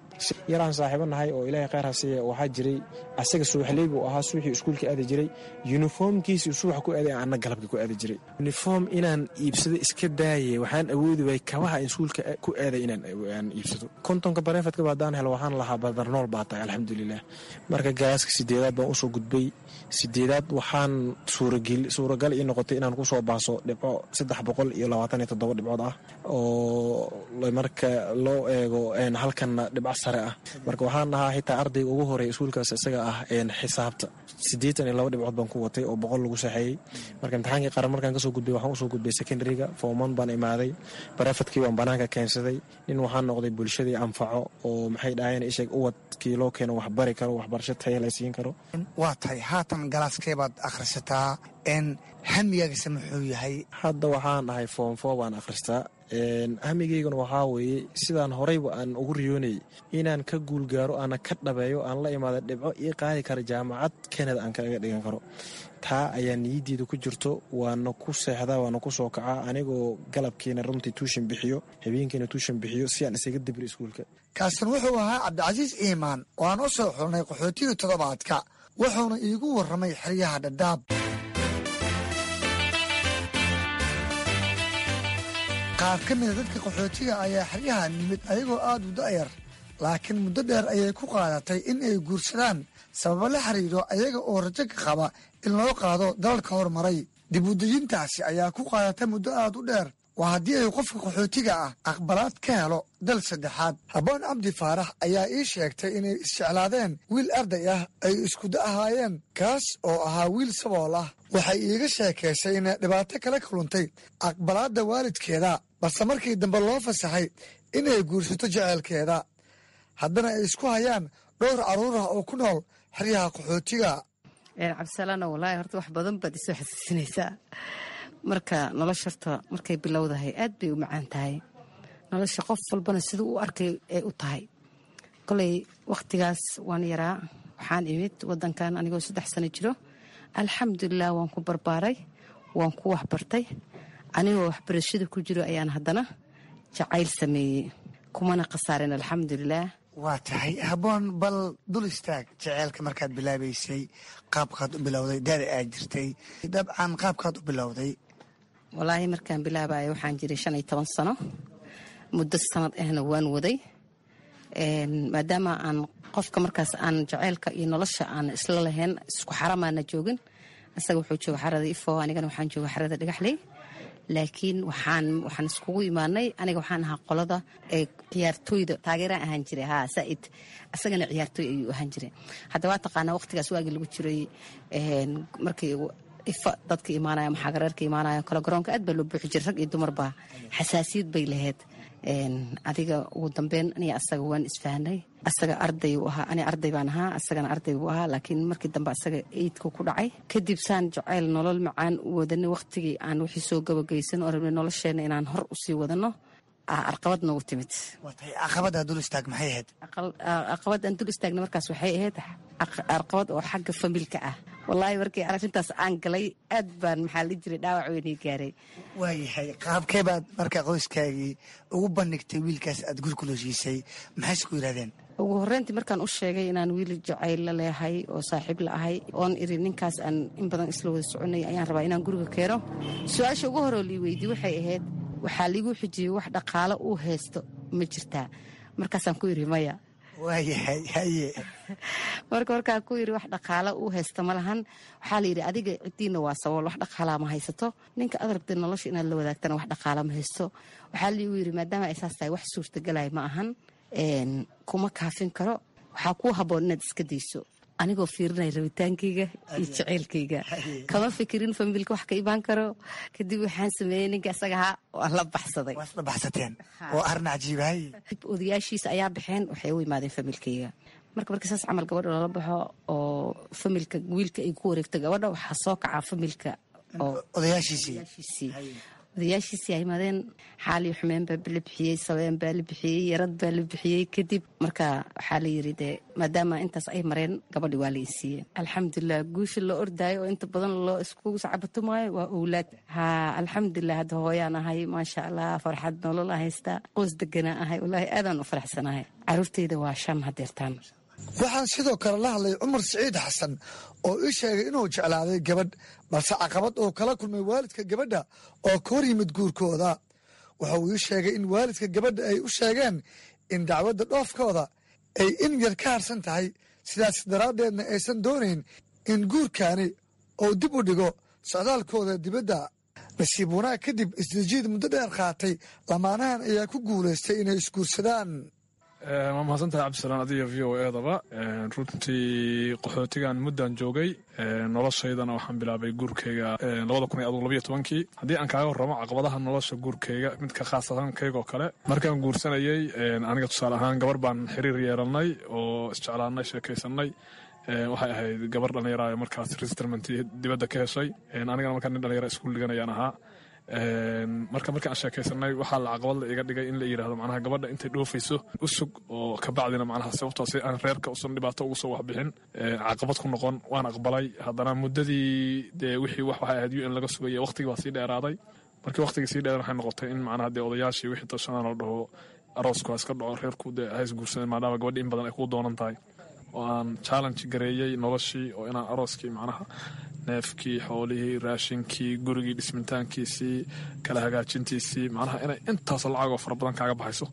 Yaraan saaxiibo nahay oo Ilaahay khayr ha siiya waxaa jiray, asaga subaxley buu ahaa, subaxii iskuulka aadi jiray, uniformkiisii subax ku aaday, anna galabka ku aadi jiray. Uniform inaan iibsado iska daaye, waxaan awoodi waayey kabaha in iskuulka ku aaday inaan iibsado. Kontonka bareefadkaba haddaan helo waxaan lahaa badarnool baa tahay, alxamdulilah. Marka galaaska sideedaad baan usoo gudbay sideedaad waxaan suuragal ii noqotay inaan kusoo baaso dhibco saddex boqol iyo labaatan iyo toddoba dhibcood ah oo marka loo eego halkanna dhibco sare ah. Marka waxaan ahaa xitaa ardayga ugu horeeya iskuulkaas isaga ah xisaabta siddeetan iyo laba dhibcood baan ku watay oo boqol lagu saxeeyey. Marka imtixaankii qaran markaan kasoo gudbay waxaan usoo gudbay secondaryga form one baan imaaday. Private-kii baan banaanka keensaday. Nin waxaan noqday bulshadii anfaco oo maxay dhahayeen isheeg uwadkii loo keeno wax bari karo, waxbarasho taya la siin karo. Waa tahay, haatan class-kee baad akhrisataa n hamigaagase muxuu yahay? Hadda waxaan ahay form four baan akhristaa. Hamigayguna waxaa weeye sidaan horeyba aan ugu riyoonayay inaan ka guulgaaro, aana ka dhabeeyo, aan la imaada dhibco ii qaadi kara jaamacad Canada aan kaga dhigan karo. Taa ayaa niyaddeeda ku jirto, waana ku seexdaa, waana ku soo kacaa, anigoo galabkiina runtii tuition bixiyo, habeenkiina tuition bixiyo si aan isaga dibri iskuulka. Kaasin wuxuu ahaa Cabdicasiis Iimaan oo aan u soo xulnay qaxootigii toddobaadka, wuxuuna iigu warramay xeryaha Dhadhaab. Qaar ka mida dadka qaxootiga ayaa xeryaha nimid ayagoo aad u da'yar, laakiin muddo dheer ayay ku qaadatay in ay guursadaan sababo la xiriiro ayaga oo rajo ka qaba in loo qaado dalalka horumaray. Dib u dejintaasi ayaa ku qaadata muddo aad u dheer, waa haddii ay qofka qaxootiga ah aqbalaad ka helo dal saddexaad. Habboon Cabdi Faarax ayaa ii sheegtay inay isjeclaadeen wiil arday ah ay iskuda ahaayeen, kaas oo ahaa wiil sabool ah. Waxay iiga sheekaysay inay dhibaato kala kuluntay aqbalaadda waalidkeeda, balse markii dambe loo fasaxay inay guursato jeceelkeeda, haddana ay isku hayaan dhowr carruur ah oo ku nool xeryaha qaxootiga. Cabdisalaano, wallaahi horta wax badan baad isoo xasuusinaysaa. Marka nolosha horta markay bilowdahay aad bay u macaan tahay nolosha, qof walbana siduu u arkay ay u tahay. Koley wakhtigaas waan yaraa, waxaan imid wadankan anigoo saddex sano jiro. Alxamdulilah, waan ku barbaaray, waan ku waxbartay. Anigoo waxbarashada ku jiro ayaan haddana jacayl sameeyey, kumana khasaarin, alxamdulilah. Waa tahay Habboon, bal dul istaag jeceelka markaad bilaabaysay, qaabkaad u bilowday, daada aad jirtay, dabcan qaabkaad u bilowday. Walaahi markaan bilaabayo waxaan jiray shan iyo toban sano. Muddo sanad ahna waan waday, maadaama aan qofka markaas aan jaceylka iyo nolosha aan isla lahayn, isku xaramaana joogin. Isaga wuxuu jooga xarada Ifo, anigana waxaan jooga xarada Dhagaxley. Laakiin waxaan waxaan iskugu imaanay, aniga waxaan ahaa qolada ee ciyaartooyda taageeraan ahaan jiray, haa saaid, isagana ciyaartooy ayuu ahaan jiray. Hadda waa taqaanaa waqtigaas waagii lagu jiray, markii Ifa dadka imaanaya, maxaagareerka imaanaya kale, garoonka aad baa loo buuxi jiray, rag iyo dumarba, xasaasiyad bay lahayd. Adiga ugu dambeyn aniga asaga waan isfahanay. Asaga arday uu ahaa, ani arday baan ahaa, asagana arday buu ahaa. Laakiin markii dambe asaga eidku ku dhacay. Kadib saan jacayl nolol macaan u wadanay, waqtigii aan wixii soo gabagaysan oo rabnay nolosheena inaan hor usii wadano, arqabad noogu timid. Caqabaddaa dul istaag, maxay ahayd? Caqabad aan dul istaagna markaas waxay ahayd arqabad oo xagga familka ah. Wallaahi markii arrintaas aan galay aad baan, maxaa la jiray, dhaawac weynii gaaray. Waayahay, qaabkee baad marka qoyskaagii ugu bandhigtay wiilkaas aad guri kula heshiisay? Maxayse ku yidhahdeen? Ugu horreyntii markaan u sheegay inaan wiil jacayl la leehay oo saaxiib la ahay, oon iri ninkaas aan in badan isla wada soconay ayaan rabaa inaan guriga keeno, su-aasha ugu horoo lii weydiye waxay ahayd, waxaa liigu xijiyey, wax dhaqaalo uu haysto ma jirtaa? Markaasaan ku iri maya. Waayahay, haye. Marka markaan ku yiri wax dhaqaalo uu haysto ma lahan, waxaa la yidhi adiga ciddiina waa sabool, wax dhaqaalaa ma haysato, ninka aad rabtay nolosha inaad la wadaagtana wax dhaqaala ma haysto. Waxaa liigu yidhi maadaama ay saas tahay, wax suurtagalaya ma ahan, kuma kaafin karo, waxaa kuu habboon inaad iska dayso. Anigoo fiirinaya rabitaankayga iyo jaceylkayga, kama fikirin familka wax ka imaan karo. Kadib waxaan sameeyey ninka isaga ahaa waan la baxsaday. Waad la baxsateen oo arrin cajiibahay. Odayaashiisa ayaa baxeen, waxay u imaadeen familkayga. Marka marka saas camal gabadha loola baxo oo familka wiilka ay ku wareegto gabadha, waxaa soo kacaa familka oo odayaashiisii. Odayaashiisii ay imaadeen, xaaliyo xumeen baa la bixiyey, sabeen baa la bixiyey, yarad baa la bixiyey. Kadib marka waxaa la yiri dee maadaama intaas ay mareen, gabadhi waa la isiiyey, alxamdulilah. Guusha loo ordaayo oo inta badan loo isku sacabatumaayo waa owlaad. Haa, alxamdulilah, hadda hooyaan ahay, maasha Allah, farxad nolol aan haystaa, qoys deganaa ahay, wallaahi aadaan u faraxsanahay. Caruurtayda waa shan hadeertaan. Waxaan sidoo kale la hadlay Cumar Siciid Xasan oo ii sheegay inuu jeclaaday gabadh, balse caqabad uu kala kulmay waalidka gabadha oo ka hor yimid guurkooda. Waxa uu ii sheegay in waalidka gabadha ay u sheegeen in dacwadda dhoofkooda ay in yar ka harsan tahay, sidaas daraaddeedna aysan doonayn in guurkaani uu dib u dhigo socdaalkooda dibadda. Nasiib wanaag kadib isdejiid muddo dheer qaatay, lamaanahan ayaa ku guulaystay inay isguursadaan. Waa mahadsantahay Cabdisalaan, adiga V O E-daba. Runtii qaxootigan muddan joogay, noloshaydana waxaan bilaabay guurkayga labada kun iyo adugu labiyo tobankii. Haddii aan kaaga warramo caqabadaha nolosha guurkayga, midka khaasatan kaygoo kale, markaan guursanayey aniga tusaale ahaan gabar baan xiriir yeelannay oo isjeclaannay, sheekaysanay. Waxay ahayd gabar dhallinyara markaas resettlement dibadda ka heshay, anigana markaa nin dhallinyara iskuul dhiganayaan ahaa. Marka marka aan sheekaysanay, waxaa la caqabad la iga dhigay in la yidhahdo macnaha gabadha intay dhoofayso u sug, oo kabacdina macnaha sababtoo si aan reerka usan dhibaato ugu soo waxbixin caqabad ku noqon. Waan aqbalay. Haddana muddadii dee wixii wax waxay ahayd U N laga sugayay, waqtigii baa sii dheeraaday. Markii waqtigii sii dheer, waxay noqotay in macnaha dee odayaashii wixii tashanaan oo dhaho aroosku ha iska dhaco, reerku dee ha is guursadeen, maadaama gabadhi in badan ay kuu doonan tahay, oo aan challenge gareeyey noloshii, oo inaan arooskii macnaha neefkii, xoolihii, raashinkii, gurigii dhismitaankiisii, kala hagaajintiisii, macnaha inay intaas lacagoo fara badan kaaga baxayso.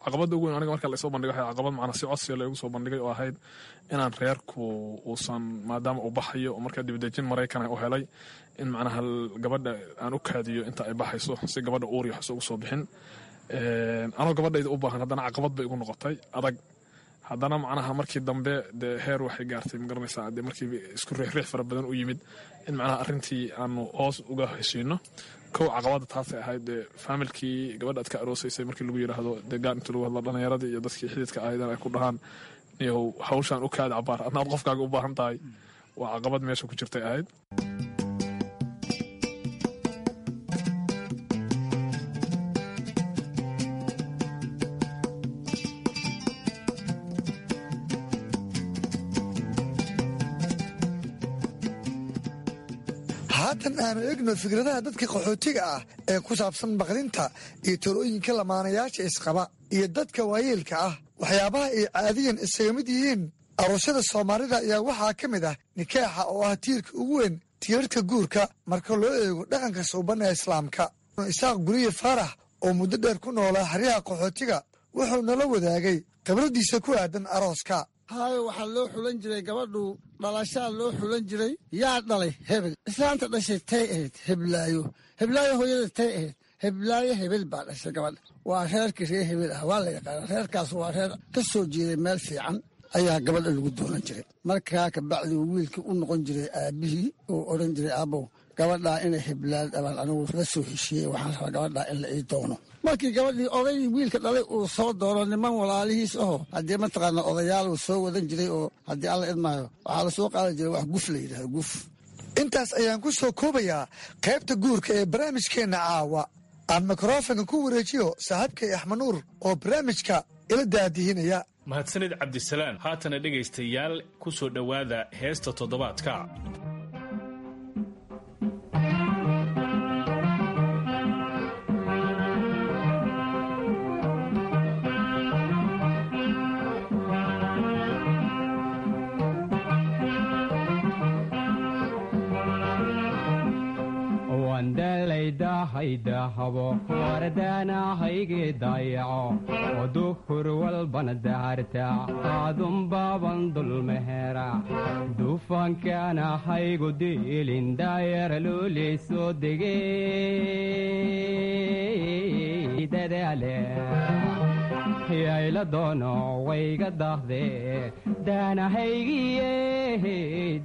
Caqabadda ugu weyn aniga marka laysoo bandhigay waxay caqabad macnaha si codsiga laygu soo bandhigay oo ahayd inaan reerku uusan, maadaama uu baxayo oo markaa dibadejin Maraykan u helay, in macnaha gabadha aan u kaadiyo inta ay baxayso si gabadha uur iyo waxs ugu soo bixin. Anoo gabadhayda u baahan, haddana caqabad bay igu noqotay adag. Haddana macnaha markii dambe dee heer waxay gaartay, ma garanaysaa, dee markii isku riixriix fara badan u yimid in macnaha arrintii aanu hoos uga heshiino. Kow caqabadda taasay ahayd, dee faamilkii gabadha aad ka aroosaysay markii lagu yidhaahdo dee gaar inta lagu hadlo, dhallinyaradii iyo dadkii xididka ahaydeen ay ku dhahaan niyow hawshaan u kaadi cabaar, adna aad qofkaaga u baahan tahay, waa caqabad meesha ku jirtay ahayd. Haatan aanu eegno fikradaha dadka qaxootiga ah ee ku saabsan baqdinta iyo talooyinka lamaanayaasha isqaba iyo dadka waayeelka ah. Waxyaabaha ay caadiyan isaga mid yihiin aroosyada Soomaalida ayaa waxaa ka mid ah nikaaxa, oo ah tiirka ugu weyn tiirarka guurka marka loo eego dhaqanka suuban ee Islaamka. Isaaq Guriye Faarax oo muddo dheer ku noolaa xeryaha qaxootiga wuxuu nala wadaagay khibraddiisa ku aadan arooska. Haayo, waxaa loo xulan jiray gabadhu dhalashaa loo xulan jiray. Yaa dhalay hebel? Islaanta dhashay tay ahayd heblaayo. Heblaayo hooyada tay ahayd heblaayo. Hebel baa dhashay gabadha. Waa reerkii reer hebel ah, waa la yaqaana reerkaas, waa reer ka soo jeeday meel fiican ayaa gabadha lagu doonan jiray. Markaa kabacdi wiilkii u noqon jiray aabbihii oo odhan jiray, "Aabbow, gabadhaa inay heblaad abaan anigu la soo heshiiyey, waxaan rabaa gabadhaa in la ii doono." Markii gabadhii oday wiilka dhalay uu soo doono, niman walaalihiis aho haddii mataqaana odayaal uu soo wadan jiray, oo haddii Alla idmaayo waxaa la soo qaadi jiray wax guf la yidhahdo, guf. Intaas ayaan ku soo koobayaa qaybta guurka ee barnaamijkeenna caawa. Aan mikrofonka ku wareejiyo saaxiibkay Axmed Nuur oo barnaamijka ila daadihinaya. Mahadsanid Cabdisalaan. Haatana dhegaystayaal, ku soo dhowaada heesta toddobaadka. Wandalaydahaydaahabo wardaanahayge dayaco oo duhur walbana daharta aadunbaaban dulmehera dufankaanahaygu diilin daayara luuley soo dege dadaale yayla doono wayga dahde daanahaygiye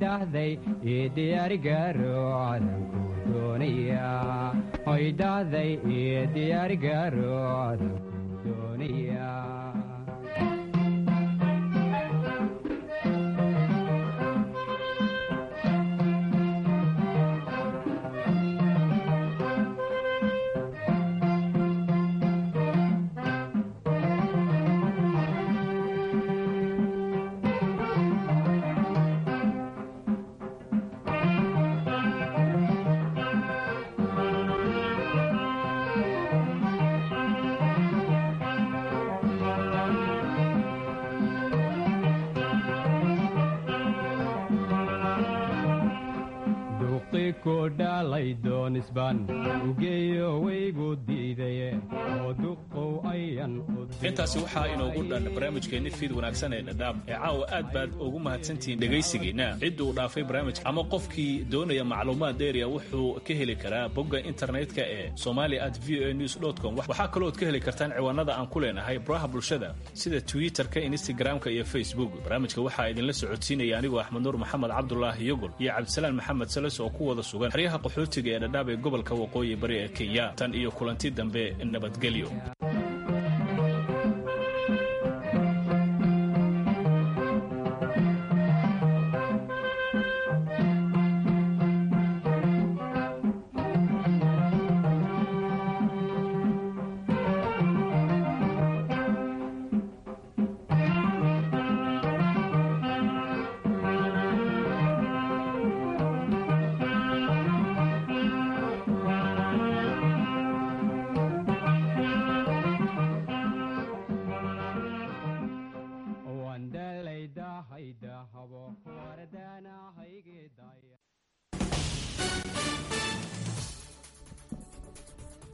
dahday ii diyaarigaro cadanku doonaya, hoy dahday ii diyaarigaro cadanku doonaya. Doonisban ugeeyo waygu diidaye oo duqow ayan u Intaasi waxaa inoogu dhan barnaamijkeenni fiid wanaagsan ee Dhadhaab ee caawa. Aad baad ugu mahadsantihiin dhegaysigeenna. Cidda uu dhaafay barnaamijka ama qofkii doonaya macluumaad dheeriya wuxuu ka heli karaa bogga internetka ee somali at v o a news com. Waxaa kalood ka heli kartaan ciwaanada aan ku leenahay baraha bulshada sida Twitterka, Instagramka iyo Facebook. Barnaamijka waxaa idinla socodsiinaya anigoo Axmed Nuur Maxamed Cabdulaahi Yogol iyo Cabdisalaan Maxamed Sales oo ku wada sugan xeryaha qaxootiga ee Dhadhaab ee gobolka Waqooyi Bari ee Kenya. Tan iyo kulanti dambe, nabadgelyo.